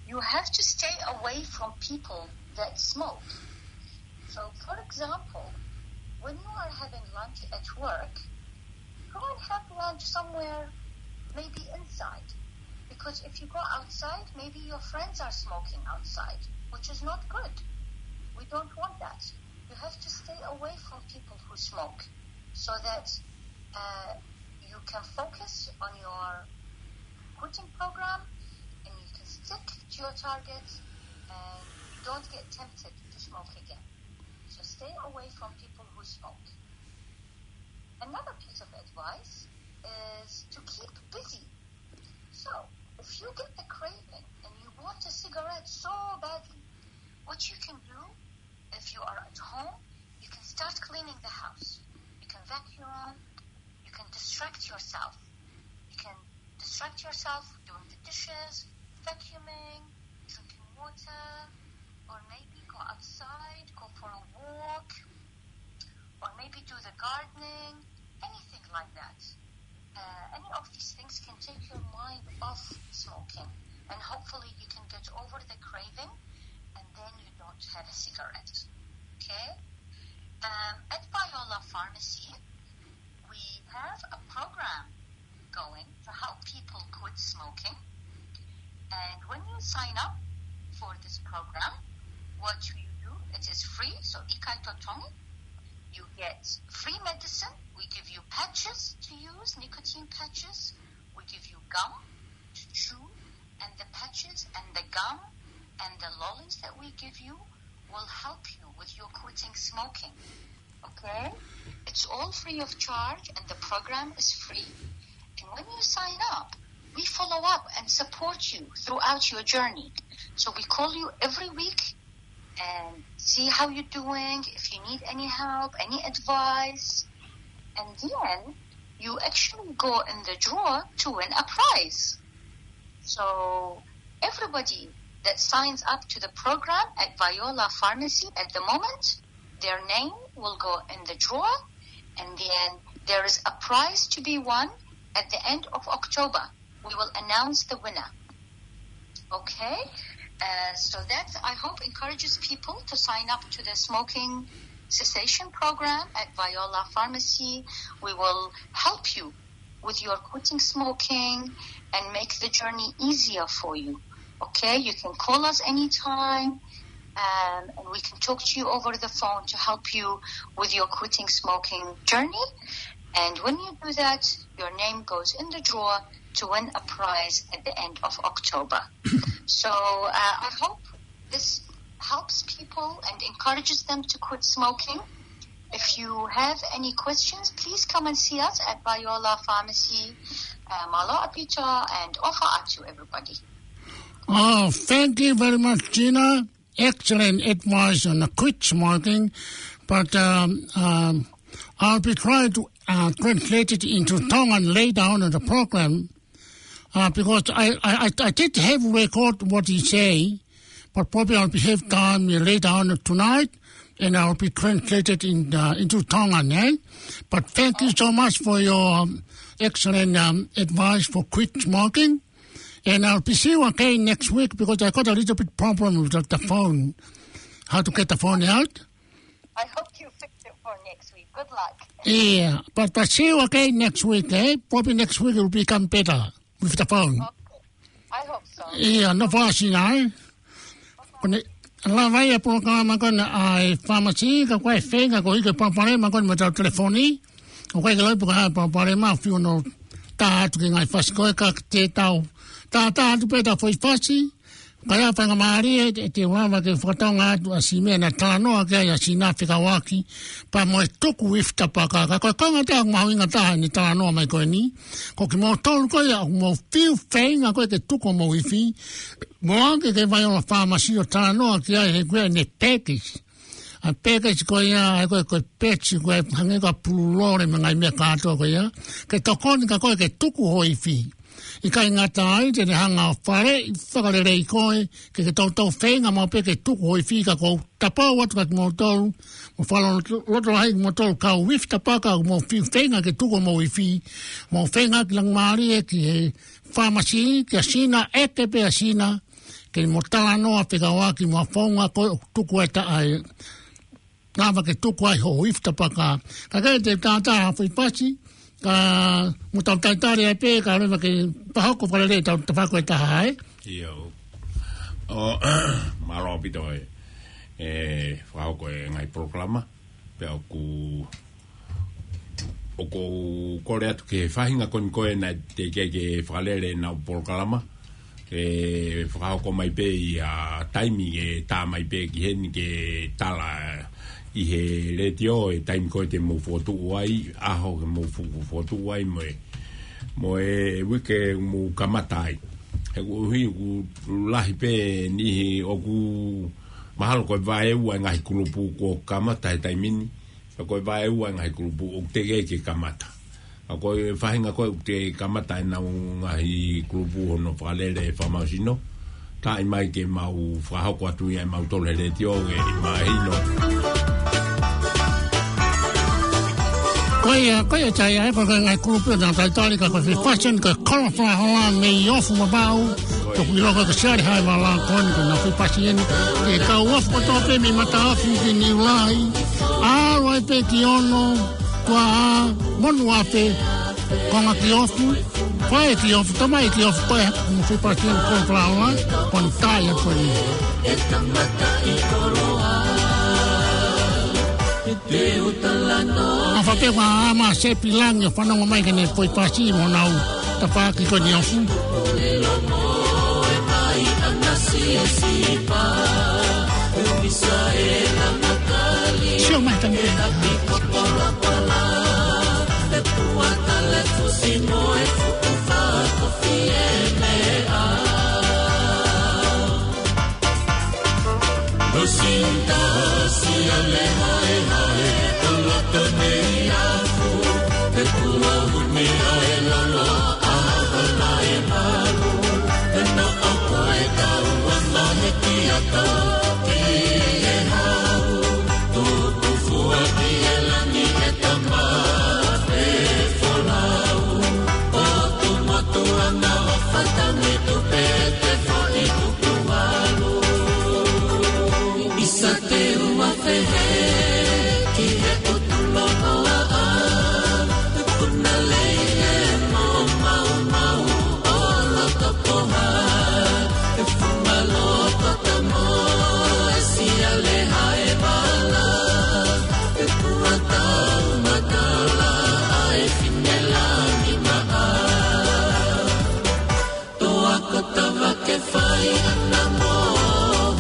you have to stay away from people that smoke. So, for example, when you are having lunch at work, go and have lunch somewhere, maybe inside. Because if you go outside, maybe your friends are smoking outside, which is not good. We don't want that. You have to stay away from people who smoke so that, uh, you can focus on your quitting program and you can stick to your target and you don't get tempted to smoke again. So stay away from people who smoke. Another piece of advice is to keep busy. So, if you get the craving and you want a cigarette so badly, what you can do, if you are at home, you can start cleaning the house. You can vacuum, you can distract yourself. You can distract yourself doing the dishes, vacuuming, drinking water, or maybe go outside, go for a walk, or maybe do the gardening, anything like that. Uh, any of these things can take your mind off smoking, and hopefully you can get over the craving, and then you don't have a cigarette. Okay? Um, at Viola Pharmacy, we have a program going to help people quit smoking. And when you sign up for this program, what you do, it is free, so ʻikai totongi. You get free medicine. We give you patches to use, nicotine patches. We give you gum to chew, and the patches and the gum and the lollies that we give you will help you with your quitting smoking. Okay? It's all free of charge and the program is free. And when you sign up, we follow up and support you throughout your journey. So we call you every week and see how you're doing, if you need any help, any advice. And then you actually go in the draw to win a prize. So everybody that signs up to the program at Viola Pharmacy at the moment, their name will go in the draw, and then there is a prize to be won at the end of October. We will announce the winner. Okay? Uh, so that, I hope, encourages people to sign up to the smoking cessation program at Viola Pharmacy. We will help you with your quitting smoking and make the journey easier for you. Okay, you can call us anytime, um, and we can talk to you over the phone to help you with your quitting smoking journey. And when you do that, your name goes in the draw to win a prize at the end of October. So, uh, I hope this helps people and encourages them to quit smoking. If you have any questions, please come and see us at Viola Pharmacy, uh, Malo Apito, and offer out to everybody. Oh, thank you very much, Gina. Excellent advice on the quit smoking. But, um, um, I'll be trying to, uh, translate it into Tongan later on in the program. Uh, because I, I, I, I did have record what he say, but probably I'll be have time later on tonight, and I'll be translated in, uh, into Tongan, eh? But thank you so much for your, um, excellent, um, advice for quit smoking. And I'll be see you again next week because I got a little bit problem with the, the phone, how to get the phone out. I hope you fix it for next week. Good luck. Yeah, but, but see you again next week, eh? Probably next week it will become better with the phone. Okay. I hope so. Yeah, no fāsina, eh? Ko ʻene lava ia polokalama ko ena ʻa e Pharmacy, ka ko e feinga ko e ʻikai palopalema ko ena mo e tau telefoni. ʻOku ʻikai ke loi pē ko ha palopalema, fiu no tā atu ki he ngaahi fasi ko ē ka te tau. Tā, tā atu pē ʻetau foʻi fasi. Ka ʻi ai ha faingamālie, ʻe, ʻe te u lava ke fakatonga atu ʻa e meʻa naʻe talanoa ki ai ʻa Sina fekauʻaki pea mo e tuku ifi tapaka. Ka ko e konga taha mahuʻinga taha ʻene talanoa mai ko eni. Ko kimoutolu ko ia ʻoku mou fiu feinga ko ē ke tuku homou ifi, mou ō ki he Vaiola Pharmacy ʻo talanoa ki ai he ko e ʻene package. ʻA e package ko ia, ʻa e ko e, ko e patch ko ē hangē ko e pululole mo e ngaahi meʻa kātoa ko ia, ke tokoni kia koe ke tuku ho ifi. ʻIkai ngata ai, te ne hanga ʻo faleʻi fakalelei koe, ke ke toutou feinga maʻu pē ke tuku ho ifi. Ka ʻoku ou tapou atu kia kimoutolu, mo fakalotolahi kimoutolu kau ifi tapaka ʻoku mou fiu feinga ke tuku homou ifi, mou feinga ki langi mālie ki he Pharmacy, kia Sina, ʻeke pē ʻa Sina, ke mo talanoa fekauʻaki mo e founga ko ē ʻoku tuku ai ʻa e lava ke tuku ai ho ifi tapaka. Ka ʻoku ʻikai te u tātā ha foʻi pasi, ka mou tau talitali ai pē, kae ʻoua ke fakahoko fakalelei ʻetau tafaʻaki ʻe taha, ē? ʻIo. ʻO, mālō ʻaupito ē. ʻE, fakahoko e ngaahi polokalama, pea ʻoku ʻoku ou kole atu ki he faʻahinga ko eni ko ē naʻe teʻeki ke fakalele ʻenau polokalama, ke fakahoko mai pē ʻi ha taimi ke tā mai pē ki heni ke tala ʻi he letiō e taimi ko ē te mou fokotuʻu ai, ʻaho ke mou fo-, fokotuʻu ai mo e, mo e uike mou kamata ai. He ʻoku ʻuhi ʻoku lahi pē niʻihi ʻoku mahalo ko e vaeua e ngaahi kulupu kuo kamata he taimi ni, ka ko e vaeua e ngaahi kulupu ʻoku teʻeki ke kamata. Ka ko e faʻahinga ko ē ʻoku teʻeki kamata ʻenau ngaahi kulupu hono fakalele e fakamoʻoni, tā mai ke mau fakahoko atu ia ʻe mautolu he letiō ke mahino. Ko ia, ko ia ʻa e ngaahi kulupu ʻoku nau talitali ka ko e Food Fashion, ko e Kolo Falahola mei Ofu, Vavaʻu. Ko e ʻilo ko e Siale Haʻi Vala ko eni ko e ngaahi Food Fashion. Ke kau ofu kotoa pē mei Mataofi ki Niulai. ʻAlu ai pē ki Ono, Tuaʻā, Monuafe, konga ki Ofu, fai ki Ofu, tamai ki Ofu, ko e ngaahi Food Fashion, Kolo Falahola, ko eni tā ia ko eni. ʻOfa pē ʻa Ama Sepi Langi ʻo fanongo mai ki heʻene foʻi pasi mo ʻenau tafaʻaki ko eni ʻi Ofu. Sio mai tani. Lusinda, siale haehae, ʻo loto nei Afu, te kua uni ʻa e lalo, ʻa hala e malu, te na ʻoku e kau a mahe ki a kau, ki he hau, tuku fua ki he langi e tama, e folau, ʻo tu motu ana ʻo fatangi tu pē te foʻi tuku alu. ʻIsa te ua fehe ki he ʻutu lonoaʻa, tuku na lei e mo maumau ʻo loto poha, e fuma loto tamo, e siale hae vala, e kua tau matala, ʻa e fine langi maʻa. Toa ko tava ke fai ana mo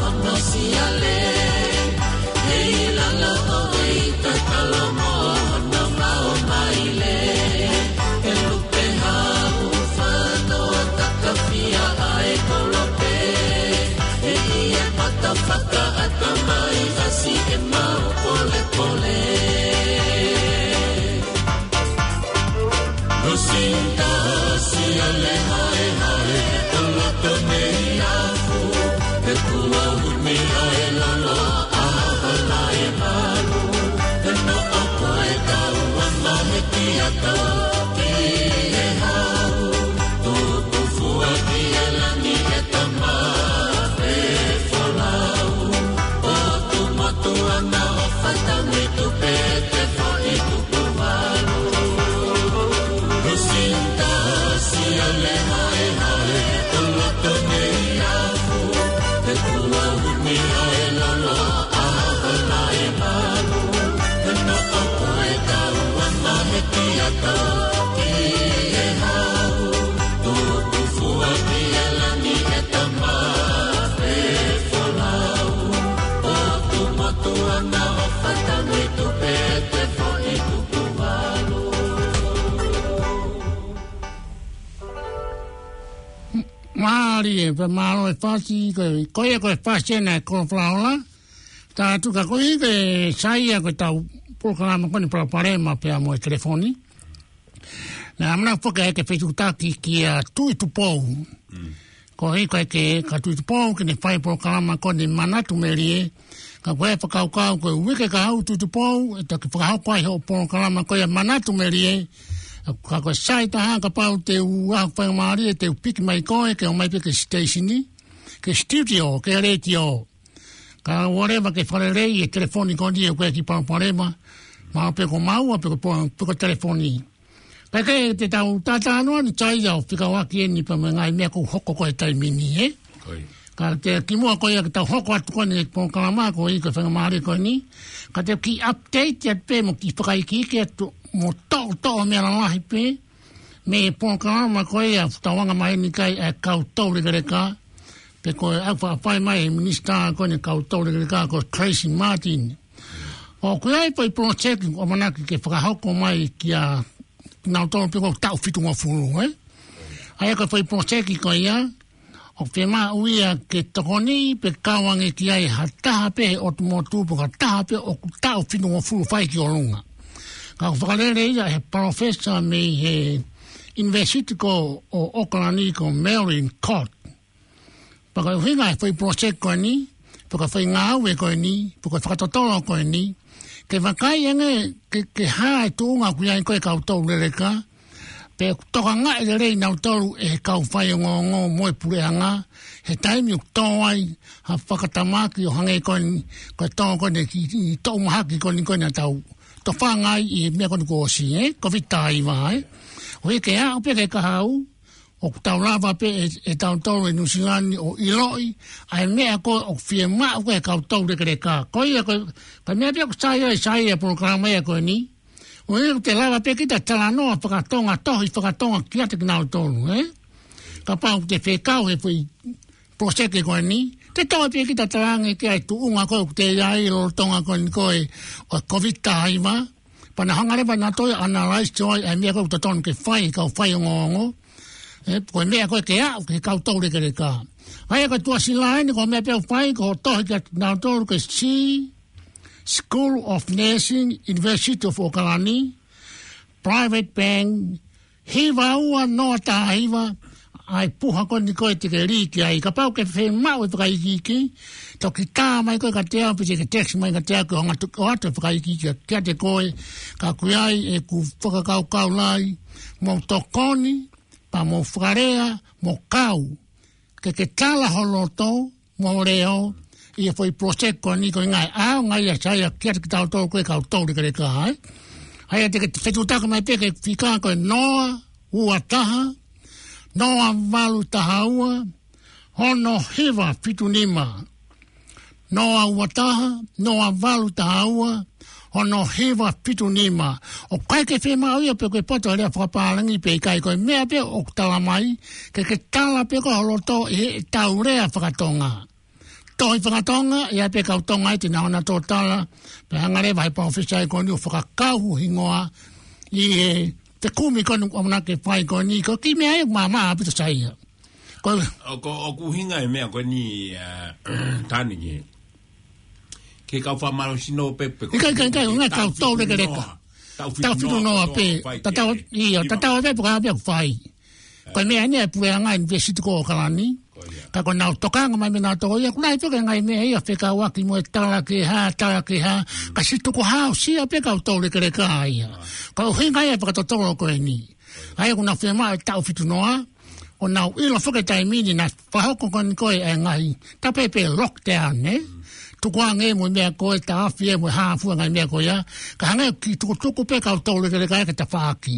hono siale. Hei lala o hei tatalo mo hono mao maile. He lupe hau fano a kakafia ʻa e kolope. He ʻi e pata fakaʻatamai ʻasi e mau polepole. Lusinda, siale haehae, ʻo loto nei Afu, e kua uni ʻa e lalo, ʻa hala e malu, e noʻo ko e kau a mahe ki a kau, ki he hau, tuku fua ki he langi e tama, e folau, ʻo tu motu ana ʻo fatangi tu pē te foʻi tuku Mālie, pea mālō e fasi, ko, ko ia ko e fasi ena ʻa e Kolo Falaola. Tā tuka ko ē ke saiʻia ko ʻetau polokalama ko eni palopalema pea mo e telefoni. Naʻa mau foki ai ke fetuʻutaki kia Tuʻi Tupou. Ko ia ko ē ke, ka Tuʻi Tupou ke ne fai polokalama ko eni Manatu Melie. Ka ko e fakakaukau ko e uike kahaʻu Tuʻi Tupou, ʻe toki fakahoko ai hoʻo polokalama ko ia Manatu Melie. Ka ko e sai taha kapau te u ʻai ha faingamālie te u piki mai koe ke ō mai pē ki he siteisini, ki he studio, ki he letiō. Ka ʻoua leva ke fakalelei e telefoni ko eni ʻoku ʻi ai e kiʻi palopalema, mahalo pē ko maua, pe ko, pe ko e telefoni. Kae kehe te tau talanoa ni, Saia, ʻo fekauʻaki eni pea mo e ngaahi meʻa ʻoku hoko ko ē he taimi ni, ē? Ko ia. Ka te kimuʻa ko ia ke tau hoko atu ko eni ki he polokalama ko ia ko e faingamālie ko eni, ka te u kiʻi update atu pē mo kiʻi fakaikiiki atu mo toʻotoʻo meʻa lalahi pē mei he polokalama ko ia ʻoku tau anga maheni ki ai ʻa e kau toulekeleka, pe ko e ʻoku faʻa fai mai ʻe he minisitā ko eni kau toulekeleka ko Tracey Martin. ʻOku ʻi ai e foʻi project ʻoku ʻamanaki ke fakahoko mai kia nautolu pē ko e taʻu fitungofulu, ē? ʻA ia ko e foʻi project ko ia, ʻoku fiemaʻu ia ke tokoni pe kau ange ki ai ha taha pē he ʻotu motu pe ko ha taha pē ʻoku taʻu fitungofulu fai ki ʻolunga. Ka ʻoku fakalele ia ʻe he palōfesa mei he University ko ē ʻo ʻOkalani ko Marion Court. Pea ko e ʻuhinga e foʻi project ko eni, pe ko e foʻi ngāue ko eni, pe ko e fakatotolo ko eni, ke vakai ange ke, ke hā e tuʻunga ʻoku ʻi ai ko ē e kau toulekeleka, pe ʻoku tokangaʻi lelei nautolu ʻe he kau faiongoongo mo e puleʻanga, he taimi ʻoku tō ai ha fakatamaki ʻo hangē ko eni, ko e tō ko eni ki, ki toʻu mahaki ko eni ko eni ʻa e tau tofanga ai ʻi he meʻa ko eni kuo ʻosi, ē? Covid taha hiva, ē? ʻOku ʻi ai ke aʻu pē ki he kahaʻu, ʻoku tau lava pē ʻe, ʻe tautolu ʻi Nuʻusila ni ʻo ʻiloʻi ʻa e meʻa ko ē ʻoku fiemaʻu ko ē ʻe he kau toulekeleka. Ko ia ko e, ko e meʻa pē ʻoku sai ai, sai ai e polokalama ia ko eni. ʻOku ʻikai te lava pē kita talanoa fakatonga, tohi fakatonga kiate kinautolu, ē? Kapau te fekau he foʻi project ko eni, te tau pē kita talaange ki ai e tuʻunga ko ē ʻoku te ʻi ai lolotonga ko eni ko ē ʻo e Covid taha hiva, pea nau hanga leva nautolu ʻo analyze ʻo ʻai ʻa e meʻa ko ē ʻoku totonu ke fai ʻe he kau faiongoongo. Ē, ko e meʻa ko ē ke aʻu ki he kau toulekeleka. ʻA ia ko e tuʻasila eni ko e meʻa pē ʻoku fai ko e tohi kia nautolu ko e C, School of Nursing, University of ʻOkalani, private bank, hiva ua noa taha hiva, ʻa e puha ko eni ko ē te ke lī ki ai. Kapau ʻoku ke fiemaʻu e fakaikiiki, toki tā mai koe kiate au, pe te ke text mai kiate au, ke u hanga atu ʻo ʻoatu e fakaikiiki kiate koe, ka ʻoku ʻi ai ʻeku fakakaukau lahi, mo tokoni, pea mo fakalea, mo kau, ke ke tala ho loto, mo e leʻo, ʻi he foʻi project ko eni ko e ngaahi ʻaonga ia, Saia, kiate kitautolu ko ē kau toulekeleka, ē? ʻA ia te ke fetuʻutaki mai pē ki he fika ko e noa ua taha, noa valu taha ua, ono hiva fitu nima. Noa ua taha, noa valu taha ua, ono hiva fitu nima. ʻOku ʻikai ke fiemaʻu ia pe ko e poto ʻa e lea fakapālangi pe ʻikai, ko e meʻa pē ʻoku tala mai, ke ke tala pē koe ho loto ʻi heʻetau lea fakatonga. Tohi fakatonga, ʻe ʻi ai pē kau Tonga ʻe te nau hanga ʻo tala, pea hanga leva ʻe he palōfesa ko eni ʻo fakakau ho hingoa ʻi he fekumi ko eni ʻoku ʻamanaki ke fai ko eni, ko e kiʻi meʻa ia ʻoku maʻamaʻa ʻaupito, Saia. Ko e ʻOku, ʻoku ʻuhinga e meʻa ko eni, ā, Tani, ki he, ki he kau fakamālohisino pē, pe ko e ʻIkai, ʻikai, ʻikai, ʻuhinga e kau toulekeleka. Taʻu fitu noa, taʻu fitu noa pē. Tatau, ʻio, tatau pē pe ko e hā pē ʻoku fai. Ko e meʻa eni ʻa e puleʻanga ʻunivēsiti ko ʻOkalani. Ko ia. Ka ko ʻenau tokanga mai mei nautolu ia, ʻoku lahi pē ko e ngaahi meʻa ia fekauʻaki mo e tala ke hā, tala ke hā, ka siʻi tukuhāusia pē kau toulekeleka ia. Ko e ʻuhinga ia e fakatotolo ko eni. ʻA ia ʻoku nau fiemaʻu e taʻu fitu noa, ʻo nau ʻilo foki e taimi ni naʻe fakahoko ko eni ko ē e ngaahi, tā pē pe lockdown, ē? Tukuange mo e meʻa ko ē, taʻafi ē mo e hā fua e ngaahi meʻa ko ia, ka hangē ʻoku kiʻi tukutuku pē kau toulekeleka ia ki he tafaʻaki.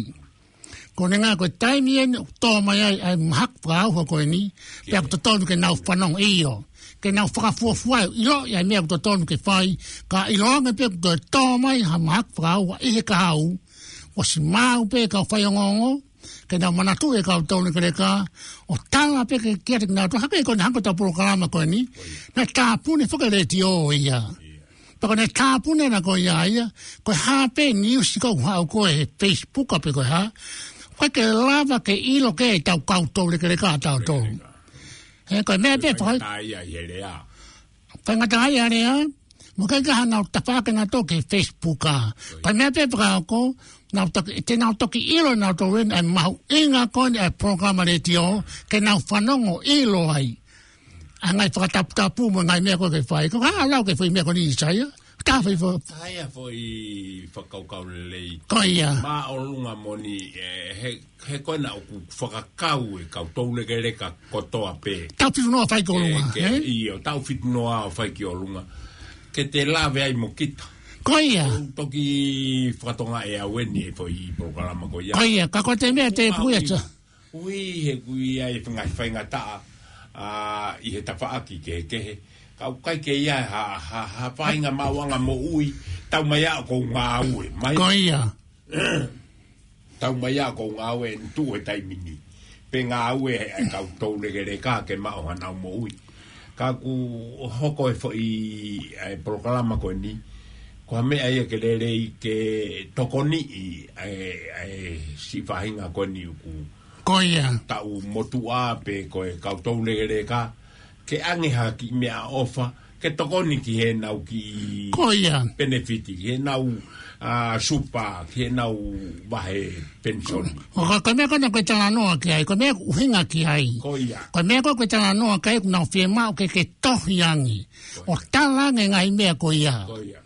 Ko e ʻuhinga ko e taimi eni ʻoku tō mai ai ʻa e mahaki fakaʻauha ko eni, pea ʻoku totonu ke nau fanongo, ʻio, ke nau fakafuofua ʻo ʻiloʻi ʻa e meʻa ʻoku totonu ke fai, ka ʻiloange pē ʻoku toe tō mai ha mahaki fakaʻauha ʻi he kahaʻu, ʻosi maʻu pē kau faiongoongo, ke nau manatuʻi e kau toulekeleka, ʻo tala pē ke kiate kinautolu, hangē ko eni, hangē ko ʻetau polokalama ko eni, naʻe tāpuni foki e letiō ia. Pea ko ʻene tāpuni ena ko ia ia, ko e hā pē niusi ʻoku haʻu ko ē he Facebook pe ko e hā, ʻoku ʻikai ke lava ke ʻilo ki ai ʻetau kau toulekeleka ʻatautolu. He ko e meʻa pē faka- Faingataʻaʻia ʻi he lea. Faingataʻaʻia lea, mo e kakai ʻoku nau tafaʻaki nautolu ki he Facebook ʻa. Ko e meʻa pē fakahoko, nau toki, te nau toki ʻilo nautolu ʻe mahuʻinga ko eni ʻa e polokalama letiō, ke nau fanongo ʻilo ai. ʻA e ngaahi fakataputapu mo e ngaahi meʻa ko ē ke fai. Ko e hā ʻa lau ki he foʻi meʻa ko eni Saia? Ka foʻi fo- Saia foʻi fakakaukau lelei. Ko ia. Māʻolunga moʻoni, ē, he, he ko ena ʻoku fakakau e kau toulekeleka kotoa pē. Tau fitu noa fai ki ʻolunga, Ke, ke, ē? ʻIo, tau fitu noa ʻo fai ki ʻolunga. Ke te lave ai mo kita. Ko ia. ʻOku toki fakatokangaʻi ʻe au eni e foʻi polokalama ko ia. Ko ia, ka ko e meʻa te Mau puia ui. ta. Ui he kui ai e ngaahi faingataʻa, ā, ʻi he tafaʻaki kehekehe. Ka ʻoku ʻikai ke ʻi ai ha, ha, ha faʻahinga maʻuʻanga moʻui, tau mai ʻa ʻoku ou ngāue. Mai. Ko ia. Tau mai ʻa ʻoku ou ngāue ʻeni tuʻu he taimi ni. Pe ngāue ʻa e kau toulekeleka ke maʻu hanau moʻui. Ka ʻoku hoko e foʻi, ʻa e polokalama ko eni, ko ha meʻa ia ke lelei ke tokoniʻi ʻa e, ʻa e siʻi faʻahinga ko eni ʻoku Ko ia. taʻu motuʻa pe ko e kau toulekeleka, ke ʻange ha kiʻi meʻaʻofa, ke tokoni ki heʻenau kiʻi Ko ia. penefiti, ki heʻenau, ā, supa, ki heʻenau vahe penisoni. Ko, ko, ko e meʻa ko ena ʻoku ke talanoa ki ai, ko e meʻa ʻoku ʻuhinga ki ai. Ko ia. Ko e meʻa ko ē ʻoku ke talanoa ki ai, ʻoku nau fiemaʻu ke ke tohi ange. ʻO tala ange ngaahi meʻa ko ia. Ko ia.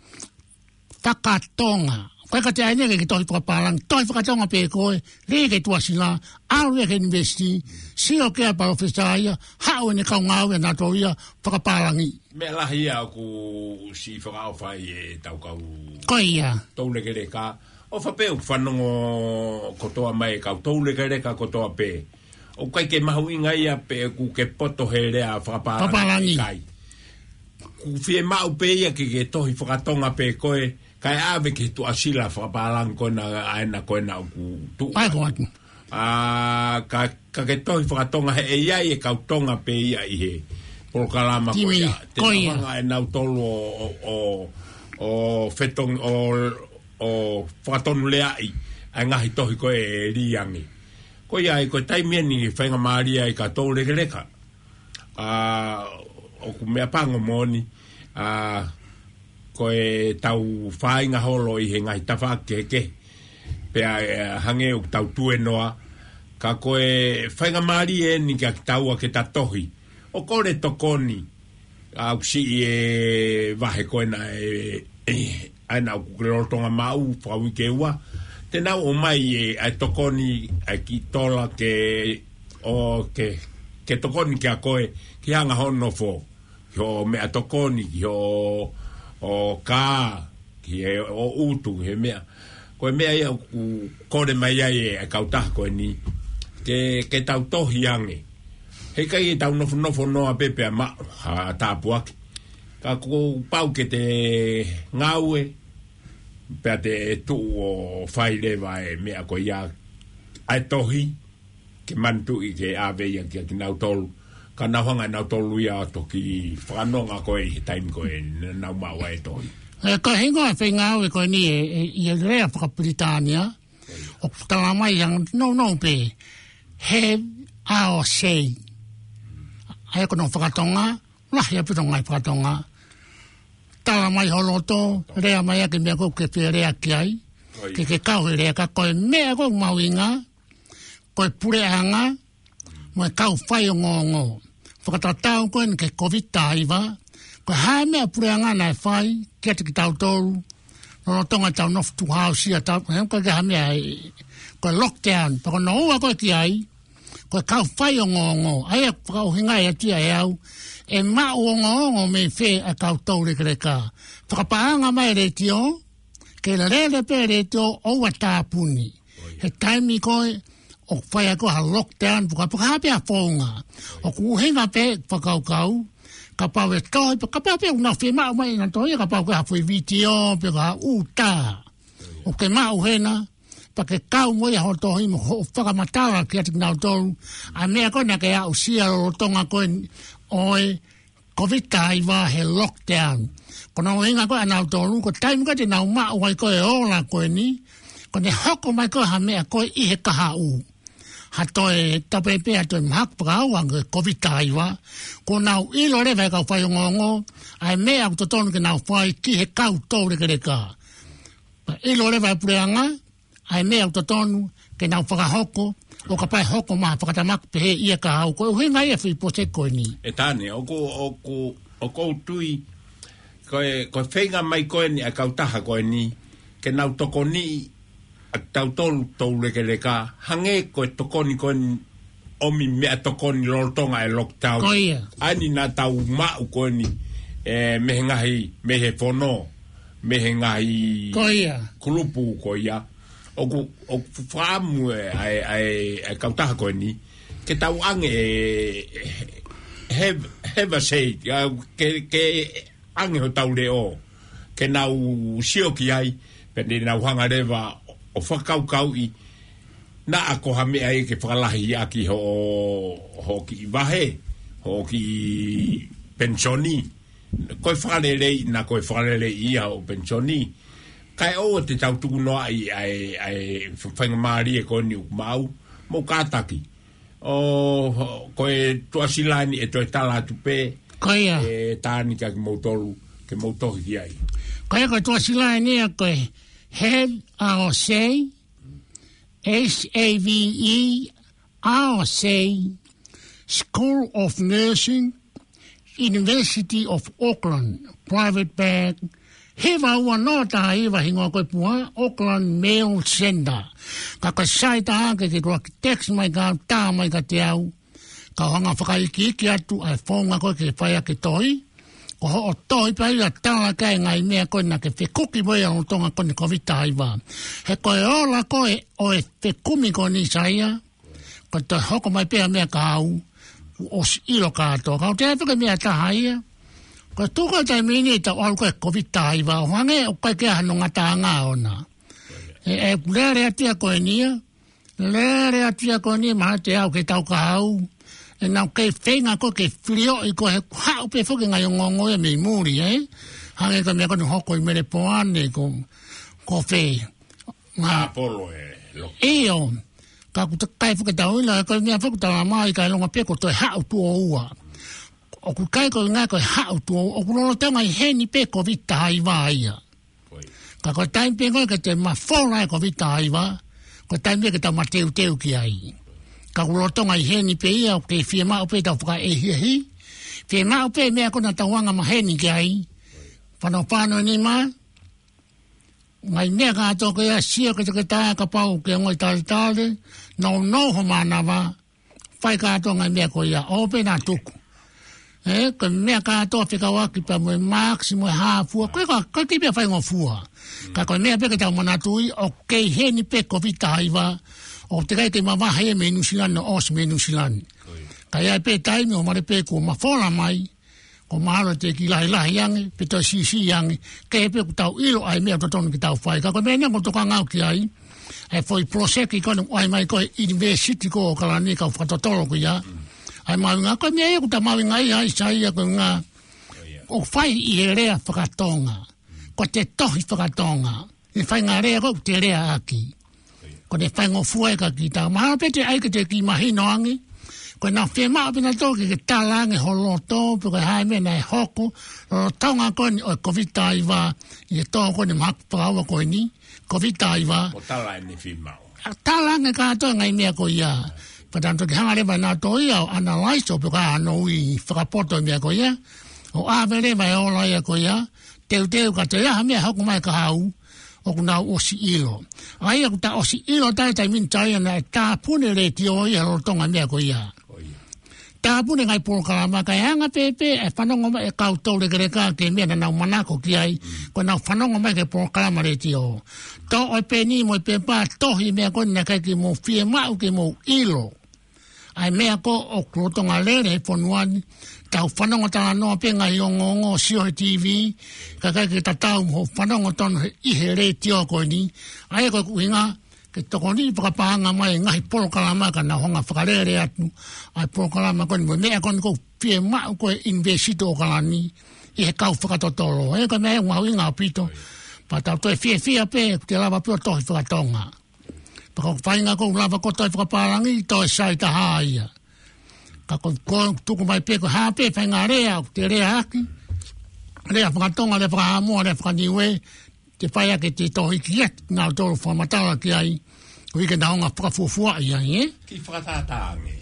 Fakatonga. Ko e ka te aine ke ke tohi fakapālangi. Tohi fakatonga pē ko ē. Lī ke tuʻasila. ʻAlu ia ki he university. Sio ki ai e palōfesa ia. Haʻu ʻene kau ngāue nautolu ia. Fakapālangi. Meʻa lahi ia ʻoku siʻi fakaʻofa ai e tau kau Ko ia. toulekeleka. ʻOfa pē ʻoku fanongo kotoa mai e kau toulekeleka kotoa pē. ʻOku ʻikai ke mahuʻinga ia pe ʻoku ke poto he lea fakapālangi Fakapālangi. kai. ʻOku fiemaʻu pē ia ke ke tohi fakatonga pē koe, kae ʻave ki he tuʻasila fakapālangi ko ena ʻa ena ko ena ʻoku tuʻu. Ai ko atu. Ā, ka, ka ke tohi fakatonga he ʻe ʻi ai e kau Tonga pē ia ʻi he polokalama ko Timi, ia. Te ko nau ia. hanga ʻe nautolu ʻo, ʻo, ʻo, ʻo fetong-, ʻo, ʻo fakatonuleaʻi ʻa e ngaahi tohi ko ē ʻe lī ange. Ko ia ai ko e taimi eni faingamālie ai ka toulekeleka. Ā, ʻoku meʻapango moʻoni, ā, ko e tau fāinga holo ʻi he ngaahi tafaʻaki kehekehe. Pea, ē, hangē ʻoku tau tuēnoa, ka ko e faingamālie eni kia kitaua ke ta tohi. ʻO kole tokoni, ʻa ʻoku siʻi e vahe ko ena e, e, ʻa ena ʻoku ke lolotonga maʻu, fakauike ua. Te nau ʻomai e, ʻa e tokoni, ʻa e kiʻi tola ke, ʻo ke, ke tokoni kia koe, ki he anga hoʻo nofo. Ki hoʻo meʻatokoni, ki hoʻo, ʻo kā, ki he ʻo ʻutu, ki he meʻa. Ko e meʻa ia ʻoku kole mai ai e, e kautaha ko eni. Ke, ke tau tohi ange. Heʻikai ke tau nofonofo noa pē pea maʻu ha tāpuaki. Ka kuo pau ke te ngāue, pea te tuʻu ʻo fai leva e meʻa ko ia ʻa e tohi, ke manatuʻi ke ʻave ia kia kinautolu. Ka nau hanga ʻe nautolu ia ʻo toki fakanonga ko ē ʻi he taimi ko ē naʻa nau maʻu ai e tohi. Ē, ko e hingoa e foʻi ngāue ko eni e, e, ʻi he lea fakapilitānia, ʻoku tala mai ʻoku nounou pē, have our say. ʻA ia ko hono fakatonga, lahi ʻaupito e ngaahi fakatonga. Tala mai ho loto, lea mai ʻaki e meʻa ko ē ʻoku ke fie lea ki ai. Ko ia. Ke ke kau he lea ka ko e meʻa ko ē ʻoku mahuʻinga, ko e puleʻanga, mo e kau faiongoongo. Fakatatau ko eni ki he Kōviti taha hiva, ko e hā e meʻa puleʻanga naʻe fai, kiate kitautolu, lolotonga ʻetau nofo tuʻu hausia, tau, he ʻoku ʻikai ke ha meʻa ʻe, ko e lockdown, pea ko hono ua ko ē ki ai, ko e kau faiongoongo, ʻa ia ʻoku fakaʻuhingaʻi atu ia ʻe au, ʻe maʻu ongoongo mei fē ʻa e kau toulekeleka. Fakapaʻanga mai e letiō, ke lele pē e letiō ʻoua ʻe tāpuni. He taimi ko ē, ʻoku fai ai ko ē ha lockdown, puka puka hā pē ha founga. ʻOku ʻuhinga pē fakakaukau, kapau ʻe tohi, pe kapau pē ʻoku nau fiemaʻu mai ʻe nautolu ia kapau ko e ha foʻi vitiō, pe ko ha ʻū tā. ʻOku ke maʻu hena, pea ke kau mo ia hoʻo tohi mo hoʻo fakamatala kiate kinautolu. ʻA e meʻa ko ē naʻa ke aʻusia lolotonga ko ē ʻo e Kōviti taha hiva he lockdown. Ko hono ʻuhinga ko ē ʻa nautolu, ko e taimi ko ē te nau maʻu ai ko ē e ola ko eni, ko ʻene hoko mai ko ē ha meʻa ko ē ʻi he kahaʻu. ha toe, tapu pē ha toe mahaki fakaua ange Covid taha hiva, kuo nau ʻilo leva ʻe he kau faiongoongo ʻa e meʻa ʻoku totonu ke nau fai ki he kau toulekeleka. Pea ʻilo leva ʻe he puleʻanga ʻa e meʻa ʻoku totonu ke nau fakahoko, ʻo kapau ʻe hoko mai ha fakatamaki pehē ia kahaʻu. Ko e ʻuhinga ia e foʻi puloseki ko eni. ʻE Tane, ʻoku, ʻoku, ʻoku ou tui, ko e, ko e feinga mai ko eni ʻa e kautaha ko eni, ke nau tokoniʻi ʻa tautolu toulekeleka, hangē ko e tokoni ko eni ʻomi meʻatokoni lolotonga e lockdown. Ko ia. ʻA eni naʻa tau maʻu ko eni, ē, mei he ngaahi, mei he fono, mei he ngaahi Ko ia. kulupu ko ia. ʻOku, ʻoku fakaʻamu ʻe, ʻa e, ʻa e, ʻa e kautaha ko eni, ke tau ʻange ʻe, have, have a say, ʻa, ke, ke ʻange hotau leʻo, ke nau sio ki ai, pea te nau hanga leva ʻo fakakaukauʻi, naʻa ko ha meʻa ia ke fakalahi ʻaki hoʻo, hoʻo kiʻi vahe, hoʻo kiʻi penisoni, ko e fakalelei, naʻa ko e fakalelei ia hoʻo penisoni. Kae ʻoua te tau tukunoaʻi ʻa e, ʻa e faingamālie ko eni ʻoku maʻu, mou kātaki. ʻO, ko e tuʻasila ni ʻe toe tala atu pē. Ko ia. ʻE Tane kia kimoutolu, ke mou tohi ki ai. Ko ia ko e tuʻasila ni ia ko e Have Our Say, H A V E, Our Say, School of Nursing, University of Auckland, Private Bank, hiva ua noa taha hiva hingoa ko e pua, Auckland Mail Centre. Ka ko e sai taha ke ke tuaki text mai ka tā mai kiate au. Kau hanga fakaikiiki atu ʻa e founga ko ē ke fai ʻaki e tohi. Ko hoʻo tohi pē ia ʻo tala ki ai e ngaahi meʻa ko ē naʻa ke fekuki mo ia ʻi he lolotonga ko eni Covid taha hiva. He ko e ola ko ē ʻo e fekumi ko eni Saia, ko e toe hoko mai pē ha meʻa kahaʻu, kuo ʻosi ʻilo kātoa. Ka ʻoku ou tala atu ko e meʻa ʻe taha ia. Ko e tuʻu ko ē he taimi ni ʻetau ʻalu ko ē he Covid taha hiva, ʻo hangē ʻoku ʻikai ke ʻi ai hano ngataʻanga ʻoʻona. ʻE, ʻe lele atu ia ko eni ia. Lele atu ia ko eni, mahalo te u aʻu ki he taʻu kahaʻu. ʻE nau kei feinga ko ē ke filioʻi ko ē he haʻu pē foki e ngaahi ongoongo ia mei muli, ē? Hangē ko e meʻa ko eni hoko ʻi Melepoane ko, ko fē. Ngā Apolo e lo. ʻIo. Ka ʻoku teʻeki ai foki ke tau ʻilo, ko e meʻa foki ʻoku tala mai ka e longa pē ko e toe haʻu tuʻo ua. ʻOku ʻikai ko e ngaahi ko e haʻu tuʻo ua, ʻoku lolotonga ʻi heni pē Covid taha hiva ia. Ko ia. Ka ko e taimi pē ko ē ke toe mafola e Covid taha hiva, ko e taimi pē ke tau mateuteu ki ai. Ka ʻoku lolotonga ʻi heni pē ia, ʻoku fiemaʻu pē ʻetau fakaʻehiʻehi. Fiemaʻu pē meʻa ko ē naʻa tau anga maheni ki ai. Fanofano e nima, ngaahi meʻa kātoa ko ia, sio ke te ke tā kapau ke ngoi taletale, nounou ho mānava, fai kātoa ngaahi meʻa ko ia, ʻoua pē naʻa tuku. Ē, ko e meʻa kātoa fekauʻaki pea mo e mask, mo e hā fua, ko e ka, ko e kiʻi meʻa faingofua. Ka ko e meʻa pē ke tau manatuʻi, ʻoku kei heni pē Covid taha hiva, ʻoku teʻeki ai ke mavahe ia mei Nuʻusila ni ʻo ʻosi mei Nuʻusila ni. Ka ʻi ai pē taimi ʻo male pē kuo mafola mai, kuo mahalo te ke lahilahi ange, pe toe siʻisiʻi ange, kehe pē ʻoku tau ʻilo ʻa e meʻa ʻoku totonu ke tau fai. Ka ko e meʻa eni ʻoku ou tokanga au ki ai, ʻa e foʻi puloseki ko eni ʻoku ʻai mai ko ē he ʻunivēsiti ko ē ʻo ʻAokalani, kau fakatotolo ko ia. ʻA e mahuʻinga, ko e meʻa ia ʻoku ta mahuʻingaʻia ai Saia ko e ngā, ʻoku fai ʻi he lea fakatonga. Ko e tohi fakatonga. ʻI he faʻahinga lea ko ē ʻoku te lea ʻaki. Ko ʻene faingofua ia kia kita. Mahalo pē te ʻai ke te kiʻi mahino ange. Ko ʻenau fiemaʻu pē naʻa tau ke, ke tala ange ho loto, pe ko e hā e meʻa naʻe hoko, lolotonga ko eni ʻo e Covid taha hiva, ʻi he tō ko eni mahaki fakaua ko eni, Covid taha hiva. ʻO tala ʻene fiemaʻu. ʻA tala ange kātoa e ngaahi meʻa ko ia. Pea tau toki hanga leva ʻe nautolu ia ʻo analyze ʻo pe ko e hā hono ui fakapoto e meʻa ko ia. ʻO ʻave leva e ola ia ko ia. Teuteu ka toe ʻi ai ha meʻa hoko mai kahaʻu, ʻoku nau ʻosi ʻilo. ʻA ia ʻoku ta ʻosi ʻilo ʻa e taimi ni Saia naʻe tāpuni e letiō ia he lolotonga e meʻa ko ia. Ko ia. Tāpuni e ngaahi polokalama kae anga pē pē e fanongo mai e kau toulekeleka ki he meʻa naʻa nau manako ki ai, ko ʻenau fanongo mai ki he polokalama letiō. Toʻo e peni mo e pepa, tohi e meʻa ko eni naʻe ʻikai ke mou fiemaʻu ke mou ʻilo. ʻA e meʻa ko ē ʻoku lolotonga lele he fonua ni, tau fanongo talanoa pē ngaahi ongoongo, sio he TV, kae ʻikai ke tatau mo hoʻo fanongo tonu he, ʻi he letiō ko eni. ʻA ia ko e ʻuhinga, ke tokoni fakapaʻanga mai e ngaahi polokalama ka nau hanga fakalele atu ʻa e polokalama ko eni mo e meʻa ko eni ʻoku fiemaʻu ko ē he ʻUnivēsiti ʻAokalani ʻi he kau fakatotolo. ʻA ia ko e meʻa ia ʻoku mahuʻinga ʻaupito. Pea tau toe fiefia pē, ʻoku te lava pē ʻo tohi fakatonga. Pea ko e faʻahinga ʻoku lava kotoa e fakapālangi, toe sai taha ia. Ka ko, ko e tuku mai pē ko e hā pē faʻahinga lea ʻoku te leaʻaki, lea fakatonga, lea fakahaʻamoa, lea fakaniuē, te fai ake te tohi ki ai, nautolu fakamatala ki ai, ko e ke naʻa nau fakafuofuaʻi ai, ē? Kiʻi fakatātā ange.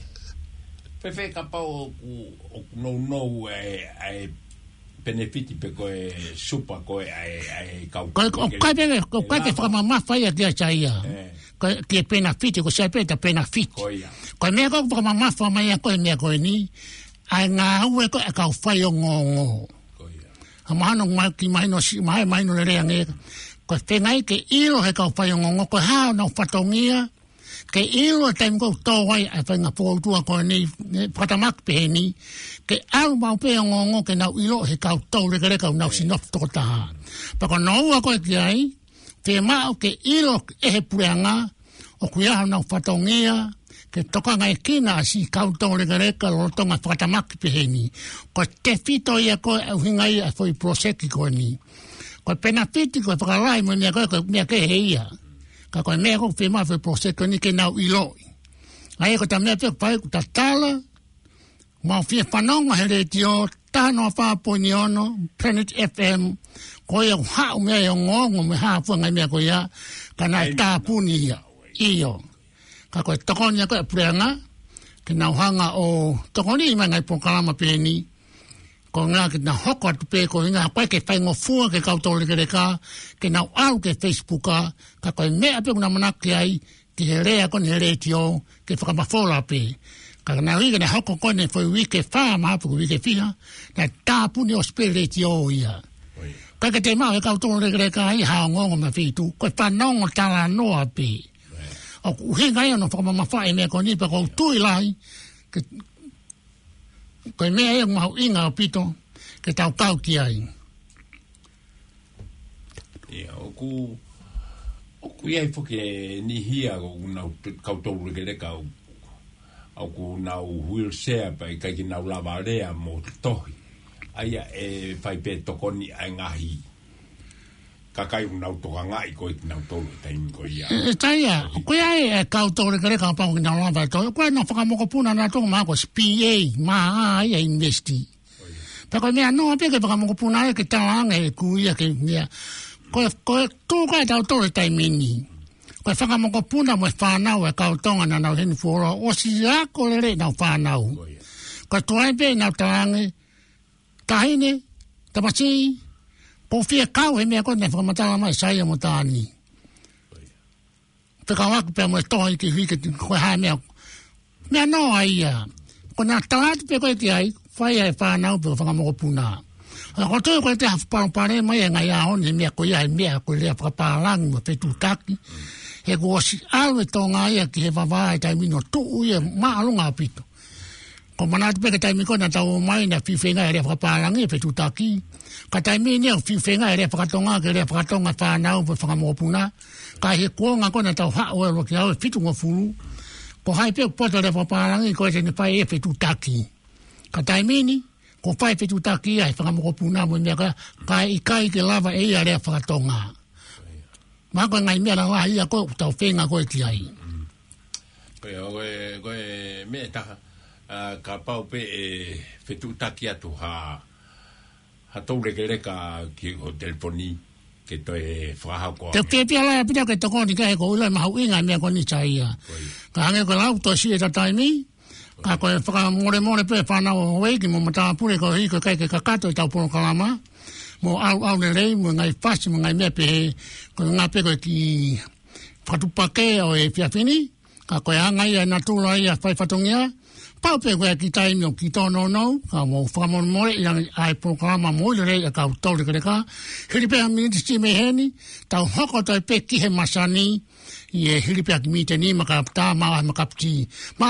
Fēfē kapau ʻoku, ʻoku nounou e, e penefiti pe ko e super ko e, e, e kau Ko e, ʻoku ʻikai pē, ʻoku ʻikai ke fakamamafa ia kia Saia. Ē. Ko e, ki he penefiti, ko Saia pē ta penefiti. Ko ia. Ko e meʻa ʻoku fakamamafa mai ʻa ko e meʻa ko eni, ʻa e ngāue ko e kau faiongoongo. Ko ia. ʻA mahalo ʻoku mahino siʻi, mahino lelei ange. Ko e feinga ke ʻilo he kau faiongoongo, ko e hā honau fatongia, ke ʻilo e taimi ʻoku tō ai ʻa e faʻahinga fokoutua ko eni, ne fakatamaki pehē ni, ke ʻalu maʻu pē ongoongo ke nau ʻilo he kau toulekeleka ʻoku nau ʻosi nofo tokotaha. Pea ko hono ua ko e ki ai, fiemaʻu ke ʻilo ʻe he puleʻanga, ʻoku ʻi ai honau fatongia, ke tokangaekina ʻa siʻi kau toulekeleka lolotonga fakatamaki pehē ni. Ko e tefito ia ko e ʻuhinga ia ʻa e foʻi poloseki ko eni. Ko e penefiti, ko e fakalahi mo e meʻa ko e, ko e meʻa kehe ia. Ka ko e meʻa ʻoku fiemaʻu he foʻi poloseki ko eni ke nau ʻiloʻi. ʻA ia ko e ta meʻa pē ʻoku fai ʻoku ta tala, mau fie fanongo he letiō, taha noa fā poini ono, Planet F M, ko ia ʻoku haʻu mei ai e ongoongo mo e hā fua e ngaahi meʻa ko ia, ka naʻe tāpuni ia. ʻIo. Ka ko e tokoni ia ko e puleʻanga, ke nau hanga ʻo tokoni mai e ngaahi polokalama pehē ni, ko e ʻuhinga ke nau hoko atu pē ko e ʻuhinga ko e ke faingofua ki he kau toulekeleka, ke nau ʻalu ki he Facebook, ka ko e meʻa pē ʻoku nau manako ki ai, ki he lea ko eni he letiō, ke fakamafola pē. Ka naʻe ʻikai ke ne hoko ko eni foʻi uike fā mahalo pe ko e uike fiha, naʻe tāpuni ʻosi pē letiō ia. ʻIkai ke te maʻu he kau toulekeleka ia ha ongoongo mei ha feituʻu, ko e fanongo talanoa pē. ʻOku ʻuhinga ia hono fakamamafaʻi e meʻa ko eni pea ʻoku ou tui lahi, ke, ko e meʻa ia ʻoku mahuʻinga ʻaupito, ke tau kau ki ai. ʻIa, ʻoku, ʻoku ʻi ai foki e niʻihi ia ʻoku nau t-, kau toulekeleka ʻoku, ʻoku nau wheelchair pea ʻikai ke nau lava lea mo tohi. ʻA ia ʻe fai pē tokoni ʻa e ngaahi kakai ʻoku nau tokangaʻi ko e kinautolu he taimi ko ia. ʻE, ʻe Saia, ko ia e, e kau toulekeleka kapau ʻoku nau lava tohi. Ko e nau fakamokopuna nautolu mahalo ko e P A, mahalo ia e university. Pea ko e meʻa noa pē ke fakamokopuna ai ke talaange ʻeku ia ke meʻa. Ko e, ko e tuʻu ko ē ʻatautolu he taimi ni. Ko e fakamokopuna mo e fānau e kau Tonga naʻa nau ʻi heni fuoloa ʻosi ako lelei ʻenau fānau. Ko e tuai pē ʻenau talaange, taʻahine, tamasiʻi, ʻoku ou fie kau he meʻa ko eni naʻe fakamatala mai ʻe Saia mo Tani. Fekauʻaki pea mo e tohi ki he uike, ko e hā e meʻa. Meʻa noa ia. Ko ʻena tala atu pē ko ē ki ai, fai ʻe he fānau pe ko e fanga mokopuna. ʻA ia ko e toe ko e te hafu palopalema ia he ngaahi ʻaho ni he meʻa ko ia, he meʻa ko e lea fakapālangi mo e fetuʻutaki. He kuo ʻosi ʻalu e Tonga ia ki he vavā he taimi ni ʻo tuʻu ia māʻolunga ʻaupito. Ko e manatu pē ki he taimi ko ē naʻa tau ō mai naʻe fiu feinga e lea fakapālangi e fetuʻutaki. Ka taimi ni ʻoku fiu feinga e lea fakatonga, ke lea fakatonga e fānau pe fanga mokopuna. Ka ʻi he kuonga ko ē naʻa tau haʻu ʻo ʻalu ki he ʻaho ʻe fitungofulu, ko hai pē ʻoku poto e lea fakapālangi ko ē te ne fai e fetuʻutaki. Ka taimi ni, kuo fai e fetuʻutaki ia ʻe he fanga mokopuna mo e meʻa ko ia, ka ʻe ʻikai ke lava ʻe ia e lea fakatonga. Mahalo ko e ngaahi meʻa lalahi ia ko ē ʻoku tau feinga ko ē ki ai. Ko e, ko e, ko e meʻa ʻe taha, ʻa, kapau pē ʻe fetuʻutaki atu ha, ha toulekeleka ki hoʻo telefoni, ke toe fakahā koe. Te u fiefia lahi ʻaupito ke tokoni ki ai he ʻoku ou ʻilo ʻe mahuʻinga e meʻa ko eni Saia. Ko ia. Ka hangē ko e lau, toe siʻi ʻeta taimi, ka ko e fakamolemole pē fānau ʻo houʻeiki mo matāpule koeʻuhi ko e ʻikai ke kakato ʻetau polokalama, mo ʻalu ʻalu lelei, mo e ngaahi fasi, mo e ngaahi meʻa pehē, ko e ngaahi pē ko e kiʻi fakatuʻupakē ʻo e efiafi ni, ka ko e anga ia e natula ia fai fatongia, pau pē ko e kiʻi taimi ʻoku kiʻi tōnounou, ka mou fakamolemoleʻi ange ʻa e polokalama moʻui lelei ʻa e kau toulekeleka, hili pē ha miniti siʻi mei heni, tau hoko atu ai pē ki he masani, ʻi he hili pē ha kiʻi miniti ʻe nima ka tā maʻu ha makapiti. Mālō